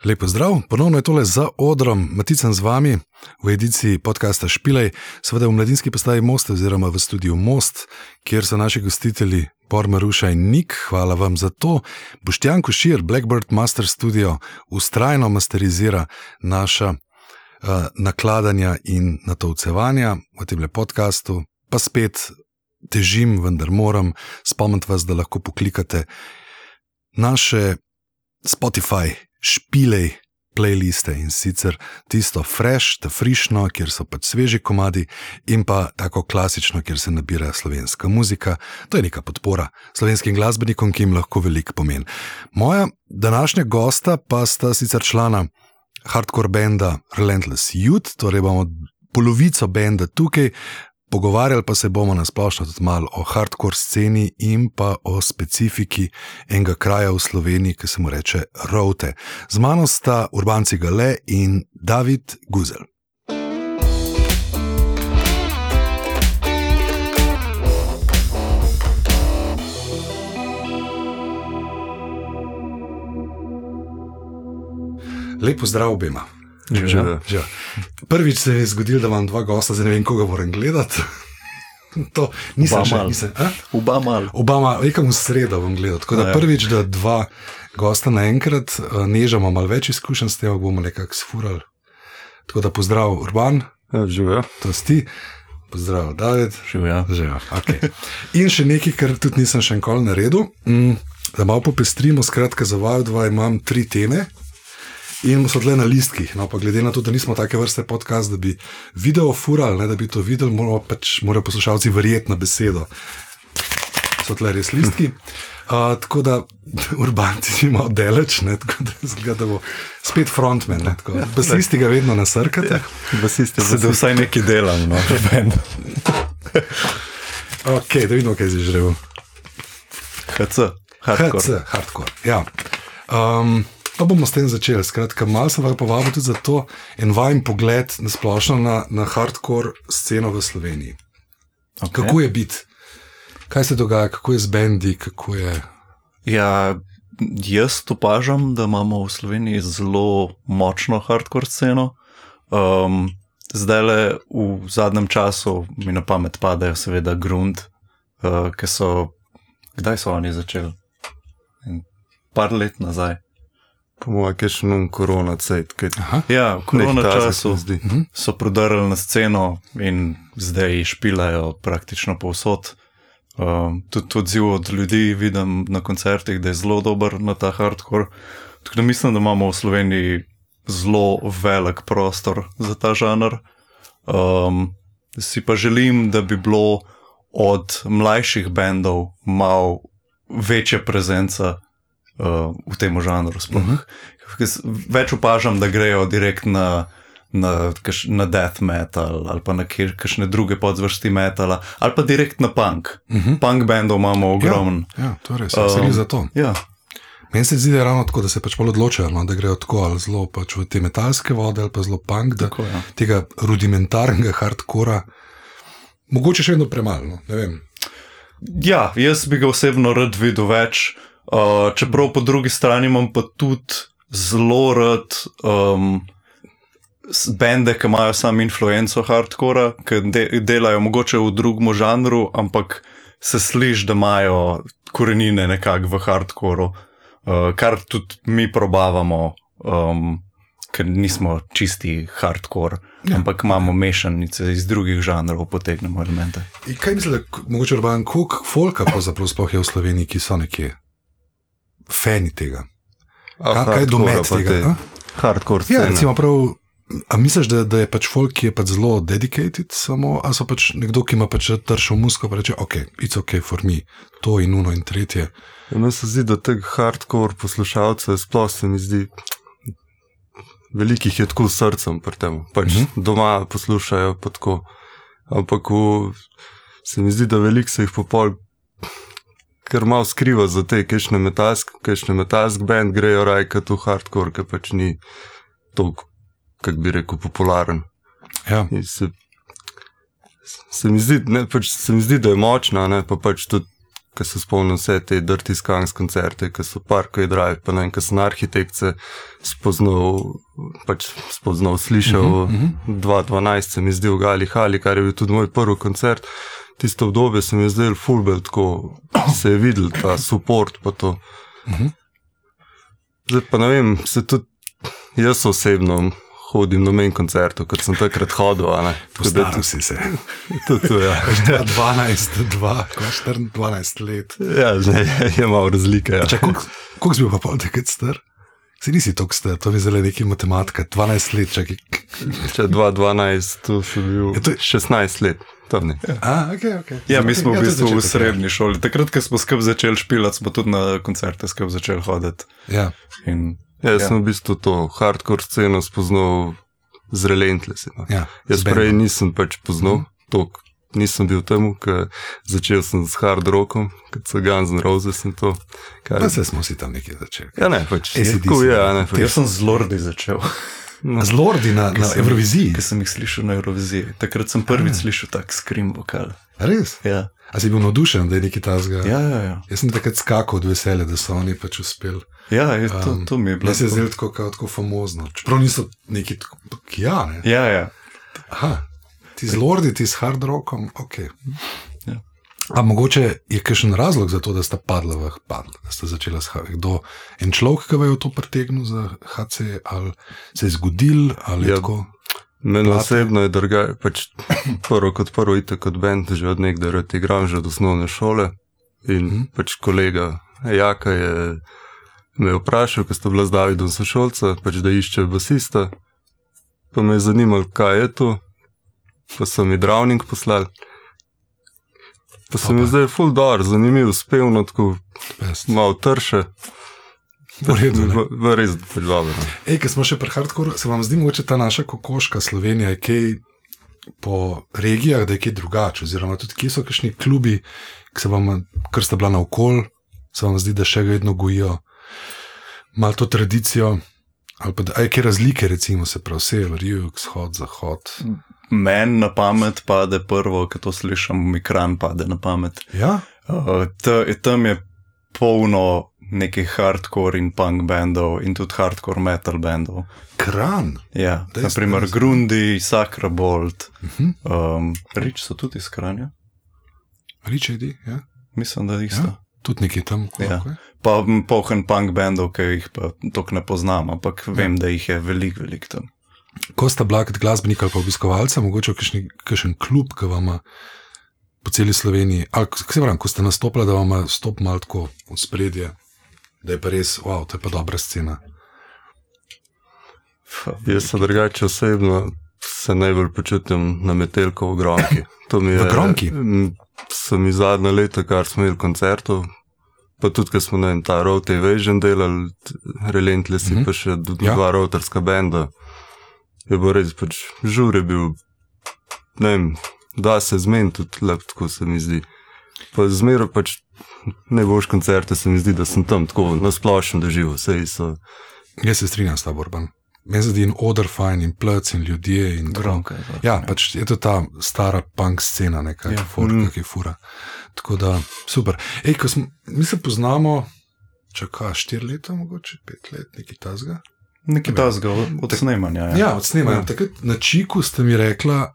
Lepo zdrav, ponovno je tole za odrom, Maticen z vami v ediciji podcasta Špilej, seveda v mladinski postaji Most oziroma v studiu Most, kjer so naši gostitelji Bor, Maruša in Nik, hvala vam za to. Boštjan Košir, Blackbird Master Studio, vztrajno masterizira naša nakladanja in natovcevanja v temle podcastu, pa spet težim, vendar moram spomniti vas, da lahko poklikate naše Spotify Špilej playliste in sicer tisto fresh, ta frišno, kjer so pač sveži komadi in pa tako klasično, kjer se nabira slovenska muzika. To je neka podpora slovenskim glasbenikom, ki jim lahko veliko pomeni. Moja današnja gosta pa sta sicer člana hardcore benda Relentless Youth, torej bomo polovico benda tukaj, pogovarjali pa se bomo nasplošno tudi malo o hardcore sceni in pa o specifiki enega kraja v Sloveniji, ki se mu reče Rovte. Z mano sta Urban Cigale in David Guzelj. Lepo zdrav obema. Že. Prvič se je zgodilo, da imam dva gosta, zdaj ne vem, koga moram gledati. To nisem še. Oba mal, nekam v sredo bom gledal. Tako da prvič, da dva gosta naenkrat, Neža ima malo več izkušenj s tem, bomo nekako sfurali. Tako da pozdrav Urban. Živijo. To si ti. Pozdrav David. Živijo. Okay. In še nekaj, kar tudi nisem še nikoli naredil, da malo popestrimo, skratka za vaju dva imam 3 teme. In so tle na listkih, no pa glede na to, da nismo take vrste podcast, da bi video furali, ne, da bi to videli, morajo poslušalci verjeti na besedo. So tle res listki. Tako da Urban ti si malo deleč, ne, tako da zgleda, da bo spet frontman, ne, tako. Basisti ga vedno nasrkate. Basisti, da vsaj nekaj delam, no. Ok, da vidimo, kaj si žrel. HC, hardcore, ja. Pa bomo s tem začeli. Skratka, malo sem vas povabil tudi za to en vajen pogled nasplošno na hardcore sceno v Sloveniji. Okay. Kako je biti? Kaj se dogaja? Kako je z bendi? Kako je? Ja, jaz opažam, da imamo v Sloveniji zelo močno hardcore sceno. Zdajle v zadnjem času mi na pamet padajo seveda Grund, ki so, kdaj so oni začeli? Par let nazaj. Po mojem, kaj še nam korona cajt. Ja, v korona času so prodarili na sceno in zdaj špilajo praktično povsod. Tudi odziv od ljudi vidim na koncertih, da je zelo dober na ta hardcore. Tako da mislim, da imamo v Sloveniji zelo velik prostor za ta žanr. Si pa želim, da bi bilo od mlajših bendov malo večja prezenca v tem žanru sploh. Več opažam, da grejo direkt na death metal ali pa na kakšne druge podzvrsti metala ali pa direkt na punk. Punk bandov imamo ogromno. Ja, to je res, se ni za to. Ja. Meni se zdi, da je ravno tako, da se pač bolj odločajo, no, da grejo tako ali zelo pač v te metalske vode ali pa zelo punk, da tako, ja. Tega rudimentarnega hardcora mogoče še vedno premalo, no, ne vem. Ja, jaz bi ga osebno rad videl več. Čeprav po drugi strani imam pa tudi zelo rad bende, ki imajo sam influenco hardcora, ki delajo mogoče v drugem žanru, ampak se sliši, da imajo korenine nekako v hardcoru, kar tudi mi probavamo, ker nismo čisti hardcore, ampak imamo mešanice iz drugih žanrov, potegnemo elemente. In kaj misli, mogoče Urban, koliko folka pravzaprav sploh je v Sloveniji, ki so nekje fani tega? Kaj je domet tega? Hardcore scena. Ja, recimo prav, a misliš, da je pač folk, ki je pač zelo dedicated samo, a so pač nekdo, ki ima pač tršo musko, pa reče, ok, it's ok for me, to in uno in tretje. Ja, meni se zdi, da teh hardcore poslušalcev sploh se mi zdi, velikih je tako srcem pri tem, pač doma poslušajo pa tako, ampak se mi zdi, da veliko se jih popol ker malo skriva za te, kakšne metalsk band grejo rajkat v hardcore, ki pač ni toliko, kak bi rekel, popularen. Ja. Se mi zdi, da je močna, ne, pa pač tudi ko se spomnim vse te Dirty Skunks koncerte, ko so Parkway Drive, pa ne vem, ko sem arhitekce spoznal, slišal, 2012 se mi zdi v Gali Hali, kar je bil tudi moj prvi koncert. Tisto obdobje se mi je zdel fulbel, tako se je videl ta support pa to. Zdaj pa ne vem, se tudi jaz osebno hodim na menj koncertov, kot sem takrat hodil. Postaral si se. To, ja. 12 let. Ja, je malo razlike. Ja. Koliko si bil pa pol takrat star? Si nisi toliko star, to mi zelo neki matematika. 12 let, čakaj. Če 2012, to si bil 16 let. Okay. Ja, mi smo v bistvu v srednji šoli. Takrat, ko smo skupaj začeli špilati, smo tudi na koncerte skupaj začeli hoditi. Ja. Jaz sem v bistvu to hardcore sceno spoznal z Relentless. Ja, jaz prej nisem poznal, nisem bil temu, ker začel sem s hard rockom, kot so Guns N' Roses in to. Pa se smo si tam nekje začeli. Ja, ne, Jaz sem z Lordi začel. Z Lordi na Euroviziji? Ker sem jih slišal na Euroviziji. Takrat sem prvič slišal tak scream vokal. Res? Ja. A si bil navdušen, da je nekaj tazga? Ja. Jaz sem takrat skakal od veselja, da so oni uspeli. Ja, to mi je bilo. Jaz se je zdelo tako famozno. Čeprav niso neki tako, ne? Ja. Aha, ti z Lordi, ti s hard rockom, ok. Ja. A mogoče je kakšen razlog za to, da sta padla, da sta začela s HC? Kdo en človek, ki je to pritegnil za HC, ali se je zgodil, ali je tako? Meni osebno je prvo kot band, že od nekdaj rad igram, že od osnovne šole. In kolega Jaka me je vprašal, ko sta bila z Davidom sošolca, da išče basista. Pa me je zanimalo, kaj je to. Pa so mi Drowning poslali. Pa se mi zdaj ful dar, zanimiv, spevno, tako malo trše. Res dobro. Ko smo še pri hardcore, se vam zdi mogoče ta naša kokoška Slovenija, je kaj po regijah, da je kaj drugače, oziroma tudi kje so kakšni klubi, kar sta bila naokol, se vam zdi, da še vedno gojijo malo to tradicijo, ali pa da je kaj razlike, recimo se prav sever, jug, vzhod, zahod. Meni na pamet pade prvo, ko to slišam, mi Kranj pade na pamet. Ja? Tam je polno nekih hardcore in punk bandov in tudi hardcore metal bandov. Kranj? Ja, naprimer Grundi, Sakrabolt, Rič so tudi iz Kranja. Rič je, ja? Mislim, da isto. Ja? Tudi nekje tam. Ja. Pa polhen punk bandov, ki jih pa toliko ne poznam, ampak vem, da jih je veliko tam. Ko sta bila kot glasbenika ali pa obiskovalca, mogoče kakšen klub, ki vama po celi Sloveniji, ali ko ste nastopili, da vama stop malo tako v spredje, da je pa res, wow, to je pa dobra scena. Jaz se drugače osebno se najbolj počutim na Metelko v Gronki. V Gronki? So mi zadnja leta, kar smo imeli koncertov, pa tudi, ko smo ta Road Evasion delali, Relentless pa še dva routerska benda. Je bo res, žur je bil, ne vem, da se zmeni tudi lep, tako se mi zdi. Pa zmero najboljš koncerte se mi zdi, da sem tam tako nasplošno doživel, vse so. Jaz se strinjam s tabo, Urban. Meni se zdi in odr fajn, in plec, in ljudje, in Gronka. Ja, je to ta stara punk scena, nekaj fura. Tako da, super. Mi se poznamo, 4 leta, mogoče 5 let, nekaj tazga. Nekaj tazga od snemanja. Ja, od snemanja. Takrat na Čiku ste mi rekla,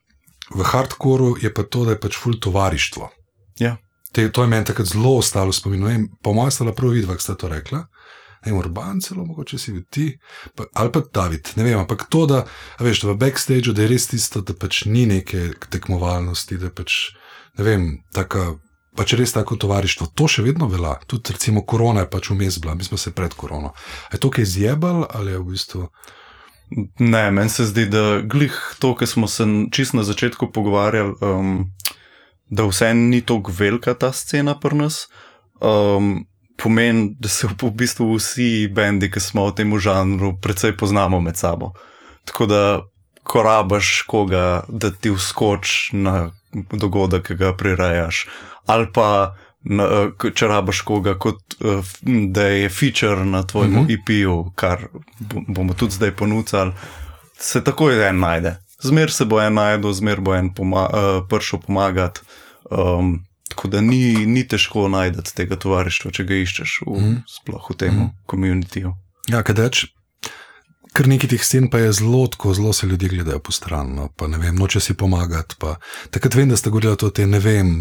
v hardcoru je pa to, da je ful tovarištvo. Ja. To je meni takrat zelo ostalo spominu. Po mojem sta prav vidva, ko ste to rekla. Urban celo, mogoče si bil ti, ali pa David, ne vem, ampak to, da veš, v backstageu, da je res tisto, da ni neke tekmovalnosti, da je ne vem, res tako tovarištvo. To še vedno velja. Tudi recimo korona je vmes bila, mi smo se pred korono. Je to kaj zjebal, ali je v bistvu? Ne, meni se zdi, da glih to, ko smo se čisto na začetku pogovarjali, da vse ni toliko velika ta scena pri nas, pomeni, da se v bistvu vsi bendi, ki smo v tem žanru, precej poznamo med sabo. Tako da, ko rabaš koga, da ti vskoč na dogodek, ki ga prirejaš, ali pa če rabaš koga, da je feature na tvojemu EP-ju, kar bomo tudi zdaj ponudili, se takoj en najde. Zmer se bo en najdel, zmer bo en prišel pomagati. Tako da ni težko najdeti tega tovarištva, če ga iščeš sploh v tem komunitiju. Ja, kadeč, kar nekaj teh scen pa je zelo se ljudje gledajo po stran, no, pa ne vem, noče si pomagati, pa takrat vem, da ste govorili to, ne vem,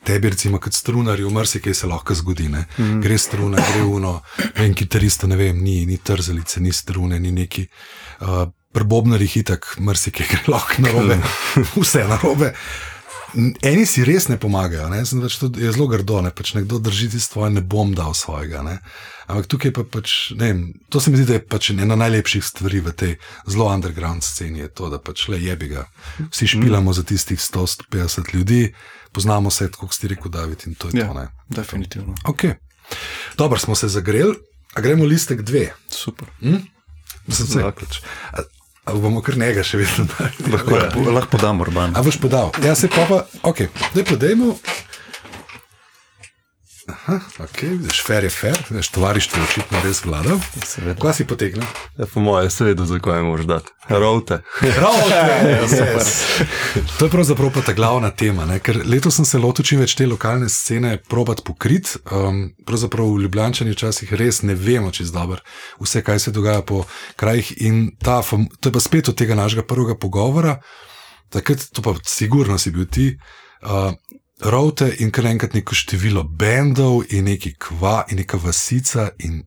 tebi recimo kot strunarju, marsikaj se lahko zgodi, ne, gre struna, gre uno, vem, kitaristo, ne vem, ni trzalice, ni strune, ni neki, pri bobnarjih itak marsikaj gre lahko narobe, vse narobe. Eni si res ne pomagajo, ne? To je zelo grdo, ne? Pač nekdo drži tisto svoje, ne bom dal svojega, ne? Ampak tukaj pa pač, ne vem, to se mi zdi, da je pač ena najlepših stvari v tej zelo underground sceni, je to, da pač le jebi ga. Vsi špilamo za tistih 150 ljudi, poznamo se, kot ste rekel, David, in to je to, ne? Definitivno. Ok. Dobro, smo se zagreli, a gremo listek 2. Super. Ali bomo kar njega še vedno dali? Lahko podam, Urban. A boš podal? Ja, se pa, ok, daj podajmo. Aha, ok, vidiš, fair je fair, vidiš, tovarištvo je očitno res vladal. Kaj si potegnil? Ja, po moje, seveda, za kaj moraš dati. Route, yes. To je pravzaprav pa ta glavna tema, ne? Ker letos sem se lotil čim več te lokalne scene probat pokrit, pravzaprav v Ljubljančani včasih res ne vemo čisto dobro vse, kaj se dogaja po krajih in to je pa spet od tega našega prvega pogovora, takrat, to pa sigurno si bil ti, Route in kar enkrat neko število bendov in neki kva in neka vasica in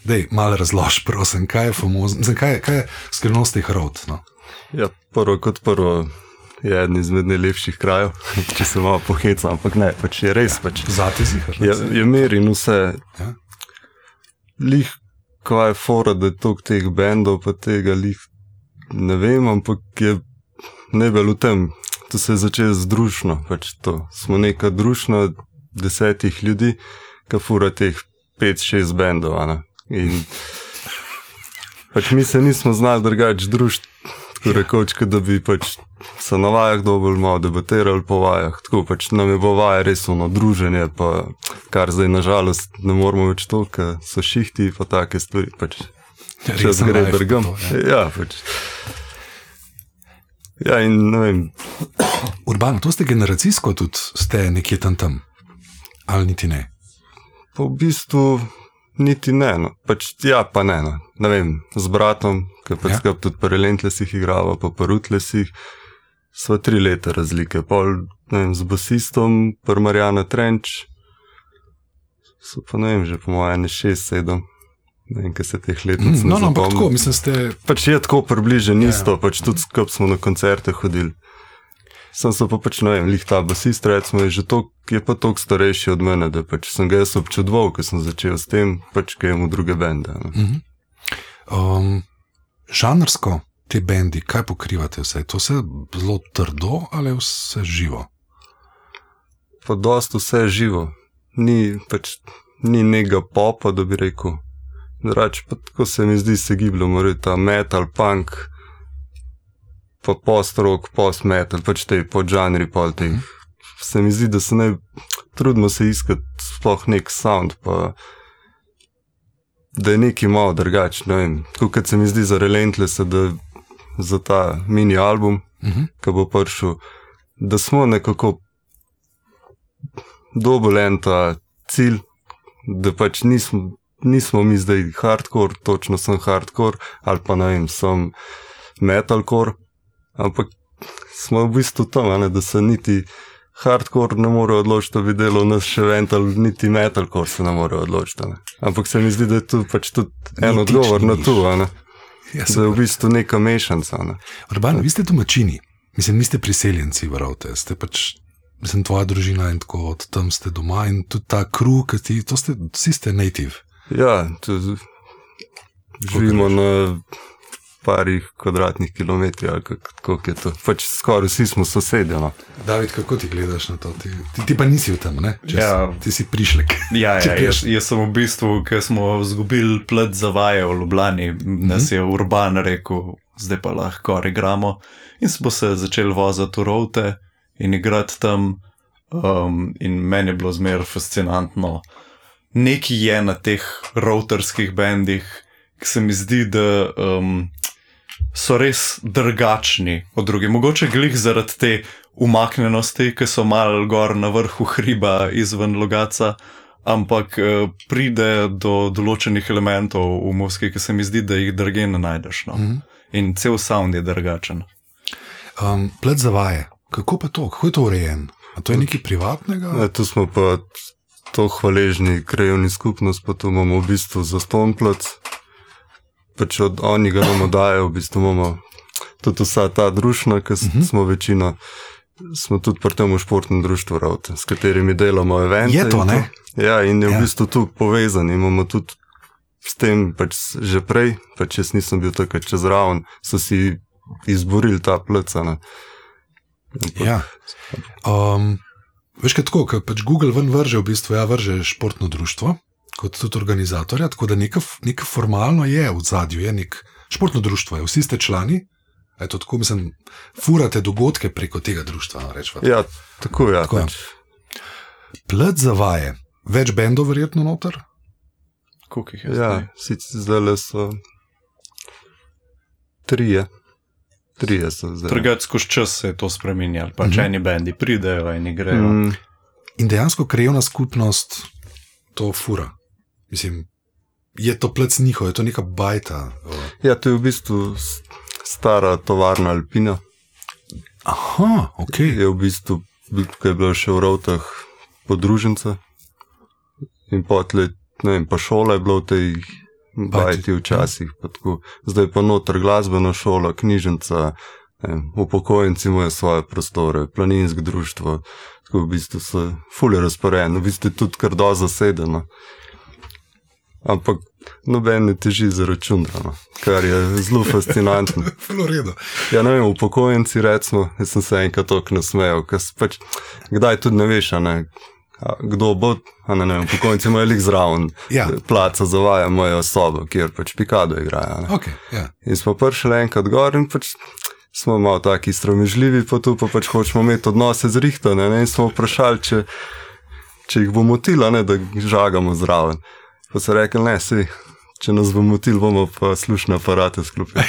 dej, malo razlož, prosim, kaj je famozno, kaj je skrivnost teh Rout, no? Ja, prvo je eden izmed najlepših krajev, če se malo pohecam, ampak ne, pač je res, pač. Zate zihar. Je mir in vse. Ja. Lih, kva je fora, da je toliko teh bendov, pa tega lih, ne vem, ampak je najbolj v tem. To se je začelo združno, pač to. Smo neka družna 10 ljudi, ki fura teh 5-6 bendov, ne. In pač mi se nismo znali drugače družiti, tako rekoč, da bi pač se na vajah dobolj malo debatirali po vajah, tako pač nam je bo vaja res ono druženje, pa kar zdaj nažalost ne moramo več to, ker so šihti pa take stvari, pač čas gre drgam. Ja, pač. Ja, in ne vem. Urban, to ste generacijsko tudi, ste nekje tam, ali niti ne? Pa v bistvu niti ne, no. Pač ja, pa ne, no. Ne vem, z bratom, ki pač skupaj tudi pri Relentlessih igrava, pa pri Ruthlessih, sva 3 leta razlike. Pol, ne vem, z basistom, pri Marjana Trenč, so pa ne vem, že po moje 6-7. Ne vem, kaj se teh letnic ne zapomnim. Ampak tako, mislim, ste... Pač je tako približen isto, pač tudi skupaj smo na koncerte hodili. Sem se pa pač, ne vem, lih ta basist, recimo, je pa toliko starejši od mene, da pač sem ga jaz občudoval, ko sem začel s tem, pač kaj imamo druge bende. Žanrsko te bendi, kaj pokrivate vse? To se zelo trdo ali vse živo? Pa dost vse živo. Ni nekega popa, da bi rekel. Drugače, pa tako se mi zdi, se gibljamo, ta metal, punk, pa post-rock, post-metal, pač te podžanri, pol teh. Se mi zdi, da trudimo se iskati sploh nek sound, pa da je nekaj malo drugače, ne vem. Tako kot se mi zdi za Relentless, da za ta mini album, ki bo prišel, da smo nekako dobili en ta cilj, da pač nismo mi zdaj hardcore, točno sem hardcore, ali pa ne vem, sem metalcore, ampak smo v bistvu tam, da se niti hardcore ne more odločiti, da bi delal nas še vental, niti metalcore se ne more odločiti. Ampak se mi zdi, da je tu pač tudi en odgovor na to, da je v bistvu neka mešanca. Urban, vi ste domačini, mislim, niste priseljenci v Route, ste pač, mislim, tvoja družina in tako od tam ste doma in tudi ta crew, vsi ste native. Ja, živimo na parih kvadratnih kilometrih, ali kako je to. Pač skoraj vsi smo sosedje, no. David, kako ti gledaš na to? Ti pa nisi v tem, ne? Ti si prišlek. Ja, jaz sem v bistvu, ker smo zgubili plet za vaje v Ljubljani, nas je Urban rekel, zdaj pa lahko igramo. In smo se začeli voziti v Route in igrati tam in meni je bilo zmer fascinantno. Nekaj je na teh routerskih bendih, ki se mi zdi, da so res drugačni od drugih. Mogoče glih zaradi te umaknjenosti, ki so malo gor na vrhu hriba izven Logatca, ampak pride do določenih elementov v Moskvi, ki se mi zdi, da jih drugje ne najdeš. No? In cel sound je drugačen. Plet za vaje. Kako pa to? Kako je to urejen? A to je nekaj privatnega? Ne, tu smo pa to hvaležni krajevni skupnost, pa tu imamo v bistvu zastonj plet. Pač od oni ga nam dajo, v bistvu imamo tudi vsa ta društva, ki smo večina, smo tudi pri tem v športnem društvu Ravte, s katerimi delamo evente. Je to, ne? Ja, in je v bistvu tu povezan. Imamo tudi s tem pač že prej, pač jaz nisem bil takrat čez raven, so si izborili ta pleca, ne. Ja. Veš kaj tako, ker pač Google ven vrže v bistvu, vrže športno društvo, kot tudi organizatorja, tako da nekaj formalno je v zadju, je nek športno društvo, vsi ste člani, je to tako, mislim, furate dogodke preko tega društva, rečva. Ja, tako ja. Tako, Plet za vaje, več bendov verjetno noter? Koliko jih je zdaj? Ja, sicer zdaj so trije so zdaj. Trgac skozi čas se je to spreminjalo, pač eni bendi pridejo, eni grejo. In dejansko krajevna skupnost to fura. Mislim, je to plec njihov, je to neka bajta. Ja, to je v bistvu stara tovarna Alpina. Aha, ok. Je v bistvu, ko je bilo še v Ravtah podružnica in potlej, ne vem, pa šola je bilo v tej bajti včasih. Pa tako. Zdaj pa noter glasbena šola, knjižnica, upokojenci imajo svoje prostore, planinsko društvo, tako v bistvu so ful je razporejeno, v bistvu je tudi kar do zasedeno. Ampak noben ne teži za računano, kar je zelo fascinantno. Ful v redu. Ja, ne vem, upokojenci recimo, jaz sem se enkrat toliko nasmejal, ker pač, kdaj tudi ne veš, kdo bo, ne vem, upokojenci imajo lik zraven, placa za vaje, imajo sobo, kjer pač pikado igrajo. Okay, in smo prišli enkrat gor in pač smo malo taki sramežljivi, pa tu pa pač hočemo imeti odnose zrihtane, in smo vprašali, če jih bo motilo, da žagamo zraven. Pa so rekli, ne, če nas bo motil, bomo pa slušne aparate sklopili.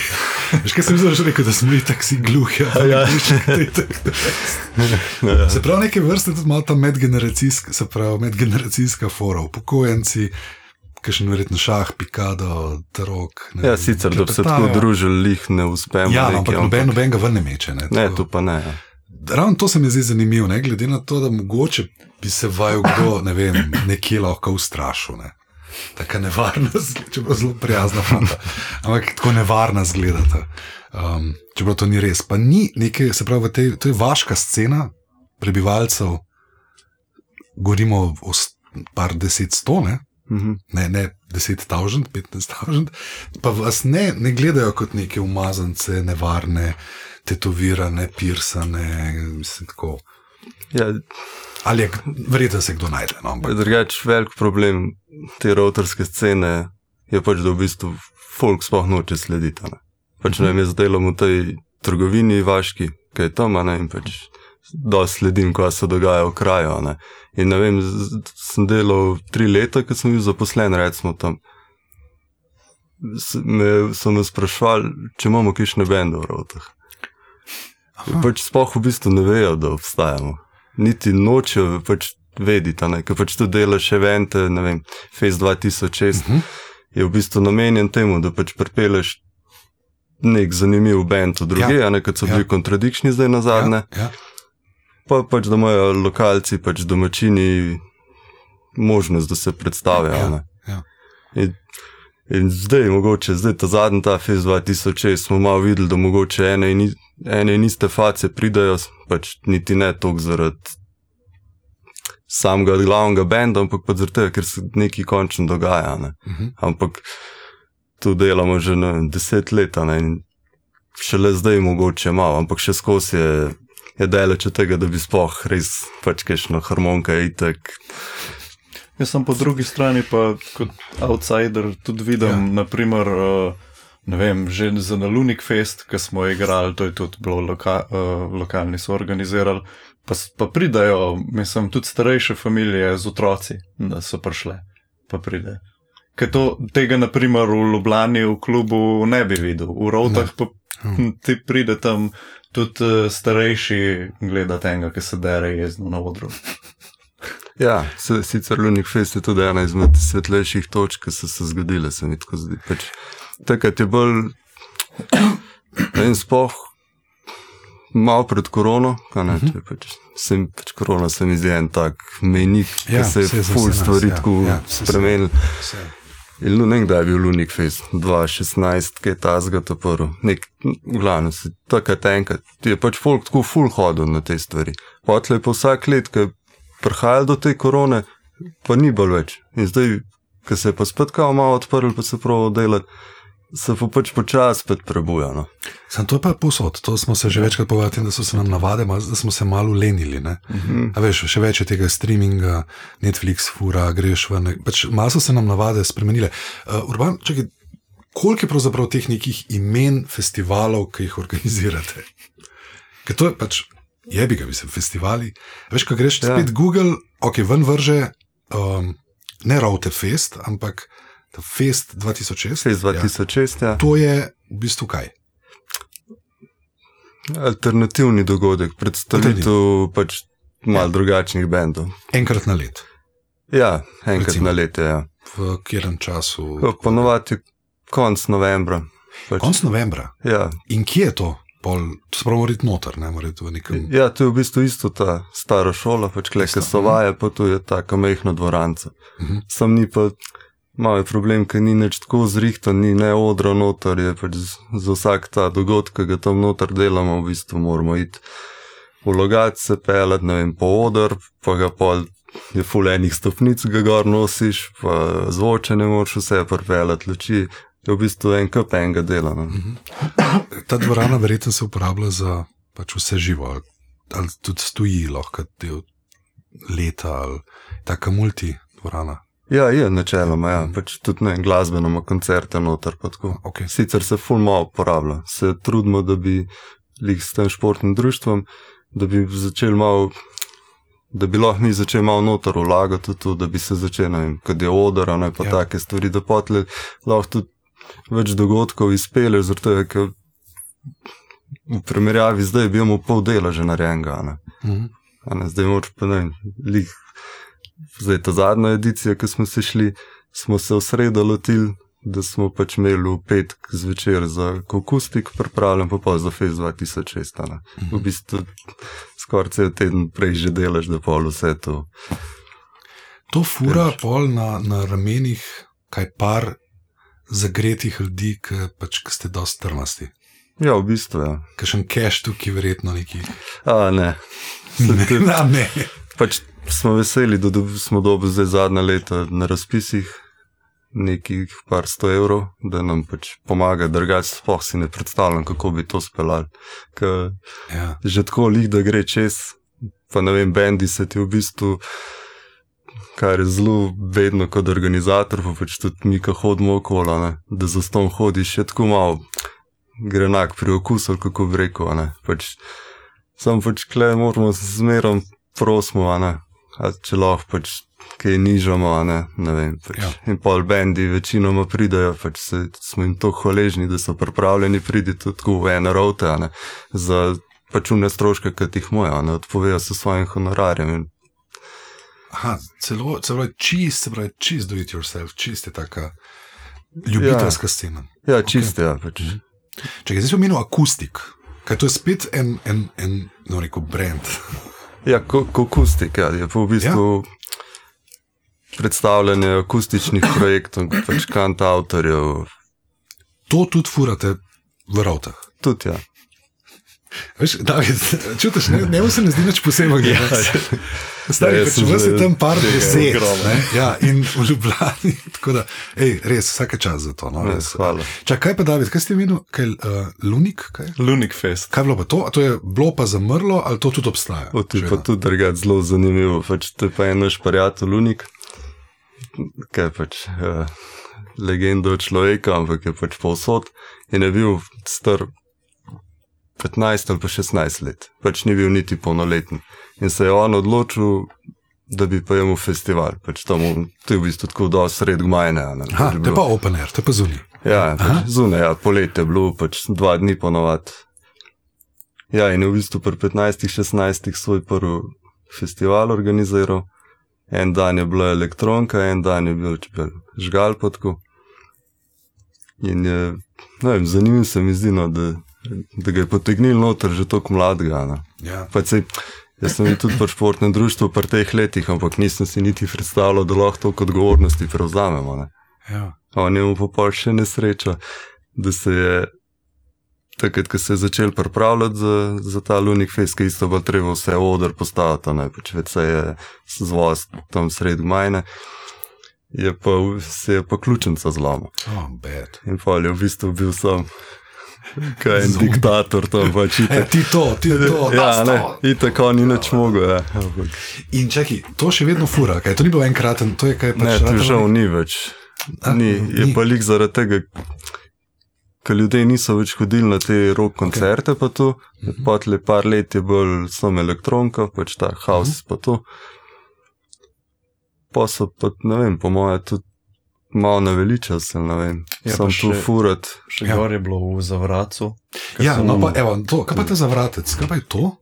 Veš, kaj sem že rekel, da smo itak si gluhi. Se pravi, neke vrste tudi malo ta medgeneracijska fora, upokojenci, kakšen verjetno šah, pikado, tarok. Ja, sicer, da bi se tako družili, lih ne uspemo. Ja, ampak noben ga ven ne meče. Ne, tu pa ne. Ravno to se mi zdi zanimivo, glede na to, da mogoče bi se vaju kdo, ne vem, nekje lahko ustrašil, ne. Taka nevarna, čeprav zelo prijazna fanta, ampak tako nevarna zgledata. Čeprav to ni res. Pa ni nekaj, se pravi, to je vaška scena prebivalcev, govorimo o par 10-100, ne? Ne 10,000, 15,000, pa vas ne gledajo kot neke umazance, nevarne, tetovirane, pirsane, mislim tako. Ja, ali je, verjetno se kdo najde. No, drugač, velik problem te ravtarske scene je pač, da v bistvu folk sploh noče slediti. Pač ne vem, jaz delam v tej trgovini vaški, ki je tam, in pač dosti sledim, kaj se dogaja v kraju. In ne vem, sem delal 3 leta, ko sem bil zaposlen, recimo tam. So me sprašvali, če imamo kakšne bende v Ravtah. Pač sploh v bistvu ne vejo, da obstajamo. Niti nočejo pač vedeti, ker pač tu delaš evente, ne vem, Fest 2006 je v bistvu namenjen temu, da pač pripeleš nek zanimiv bend v druge, kot so bili Contradiction zdaj nazadnje. Pa pač, da imajo lokalci, pač domačini možnost, da se predstavijo. In zdaj mogoče, ta zadnji ta Fest 2006 smo malo videli, da mogoče ene in iste face pridajo, pač niti ne toliko zaradi samega glavnega benda, ampak pa zaradi tega, ker se nekaj končno dogaja. Ampak tu delamo že 10 let, in šele zdaj mogoče malo, ampak še skozi je daleč od tega, da bi sploh res pač kakšna harmonika itak. Jaz sem po drugi strani pa kot outsider tudi vidim, naprimer, ne vem, že za na Lunik Fest, ki smo igrali, to je tudi bilo lokalni so organizirali, pa pridajo, mislim, tudi starejše familije z otroci, da so prišle, pa pride. tega naprimer v Ljubljani v klubu ne bi videl. V Rovtah pa ti pride tam tudi starejši gledati enega, ki se dere jezno na odru. Ja, sicer Lunik Fest je tudi ena izmed svetlejših točk, ki so se zgodile, se mi tako zdi. Takrat je bolj spoh malo pred korono, korona se mi zdi en tak mejnik, ki se je ful stvari tako spremenil. In nekdaj je bil Lunik Fest, 2016, kaj je tazga to prvo. V glavnem, takrat enkrat, je folk tako ful hodil na te stvari. Potlej pa vsak let, ki je prihajali do te korone, pa ni bolj več. In zdaj, ko se je pa spet kao malo odprl, pa se prav delati, se pa počas spet prebuja. No. Sam to je pa posod, to smo se že večkrat povedali, da so se nam navade, da smo se malo lenili. A veš, še več je tega streaminga, Netflix fura, greš ven, malo so se nam navade spremenile. Urban, čakaj, koliko je pravzaprav teh nekih imen festivalov, ki jih organizirate? Ker to je jebi ga, mislim, festivali. Veš, ko greš spet Google, ven vrže ne Rovte Fest, ampak Fest 2006. Fest 2006, ja. To je v bistvu kaj? Alternativni dogodek, predstavitev malo drugačnih bendov. Enkrat na let? Ja, enkrat na let, ja. V katerem času? Ponovadi konc novembra. Konc novembra? Ja. In kje je to? To se pravi morati noter, ne morati v nekem... Ja, to je v bistvu isto ta stara šola, kleka so vaje, pa tu je taka mehna dvoranca. Sam ni pa, malo je problem, ker ni nič tako zrihtan, ni ne odra noter, je za vsak ta dogodek, ki ga tam noter delamo, v bistvu moramo iti v Logatec se pelat, ne vem, po odr, pa ga pol je ful enih stopnic, ga gor nosiš, pa zvoče ne moraš vse pripelat, luči, je v bistvu en kup enega dela. No. Ta dvorana verjetno se uporablja za vse živo, ali tudi stoji lahko del leta, ali taka multi dvorana. Ja, je načeloma, ja. Tudi glasbeno ima koncerte noter. Okay. Sicer se ful malo uporablja. Se trudimo, da bi s tem športnim društvom, da bi začeli malo, da bi lahko mi začeli malo noter vlagati tudi, da bi se začeli, ne vem, kad je odor, ne pa take stvari, da potle lahko tudi več dogodkov izpele, zato je, ker v primerjavi zdaj bi imel pol dela že narejenega. Zdaj moč pa ne, zdaj ta zadnja edicija, ki smo se šli, smo se v sredo lotili, da smo imeli v petek zvečer za akustik pripravljen, pa za Fest 2006. V bistvu skoraj cel teden prej že delaš, da pol vse to. To fura pol na ramenih, kaj par zagretih ljudi, ki ste dosti trmasti. Ja, v bistvu, ja. Kakšen cash tukaj verjetno neki. Ne. Ne. Smo veseli, da smo dobili zdaj zadnja leta na razpisih nekih par 100 evrov, da nam pomaga, drugače sploh si ne predstavljam, kako bi to speljali. Že tako lih, da gre čez, pa ne vem, bendi se ti v bistvu, kar je zelo vedno kot organizator, pa tudi mi, ko hodimo okolo, da za ston hodiš, je tako malo grenak pri okusu, kako bi rekel. Sam kle moramo zmerom prosimo, če lahko kaj nižamo, ne vem. In pol bendi večinoma pridajo, smo jim to hvaležni, da so pripravljeni priti tudi v ene Rovte, za une stroške, ki jih moja, odpovejo se svojim honorarjem. Aha, celo je čist do it yourself, čist je taka ljubiteljska scena. Ja, čist je, ja. Čekaj, zdaj smo menil akustik, kaj to je spet en rekel, brand. Ja, akustik, ja, je pa v bistvu predstavljanje akustičnih projektov, kantavtorjev. To tudi furate v Rovtah? Tudi, ja. Veš, David, čutiš, ne se ne zdi nič posebej. Stari, vas je tam par deset. In v Ljubljani, tako da, res, vsake čas za to. Hvala. Kaj pa, David, kaj ste menil? Lunik? Lunik Fest. Kaj je bilo pa to? A to je bilo pa zamrlo, ali to tudi obstaja? To je pa tudi drugače zelo zanimivo. To je pa en naš prijatelj Lunik, kaj je legenda človeka, ampak je povsod in je bil star 15 ali pa 16 let. Ni bil niti polnoleten. In se je on odločil, da bi pa imel festival. Pač to je v bistvu tako do sred gmajne. To je pa open air, to je pa zunaj. Ja, pač zunaj, ja, poletje je bilo, pač 2 dni ponovadi. Ja, in je v bistvu pri 15-16 svoj prvi festival organiziral. En dan je bila elektronka, en dan je bil žgal potko. In je, ne vem, zanimivo se mi zdi, no, da ga je potegnil noter že toliko mladega. No. Ja. Pač jaz sem bil tudi pri športnem društvu pri teh letih, ampak nisem si niti predstavljal, da lahko toliko odgovornosti prevzamemo. Ne. Ja. On je mu popol še nesreča, da se je takrat, ko se je začel pripravljati za ta Lunik Fest, ki isto bo treba vse oder postaviti, ne, pač več se je zvoz tam sred gmajne, se je pa ključnica zlomil. Bad. In pa je v bistvu bil sam kaj en diktator tam pač. Ti to. Ja, ne, itak on ni nič mogel, ja. In čaki, to še vedno fura, kaj to ni bilo enkraten, to je kaj pač... Ne, to žal ni več. Je pa lik zaradi tega, ker ljudje niso več hodili na te rock koncerte, pa to, potle par let je bolj samo elektronka, pač ta house pa to. Pa so pa, ne vem, po moje tudi malo naveličal se, ne vem, sam tu furat. Še gor je bilo v Zavracu. Ja, no pa evo, to, kaj pa te Zavratec, kaj pa je to?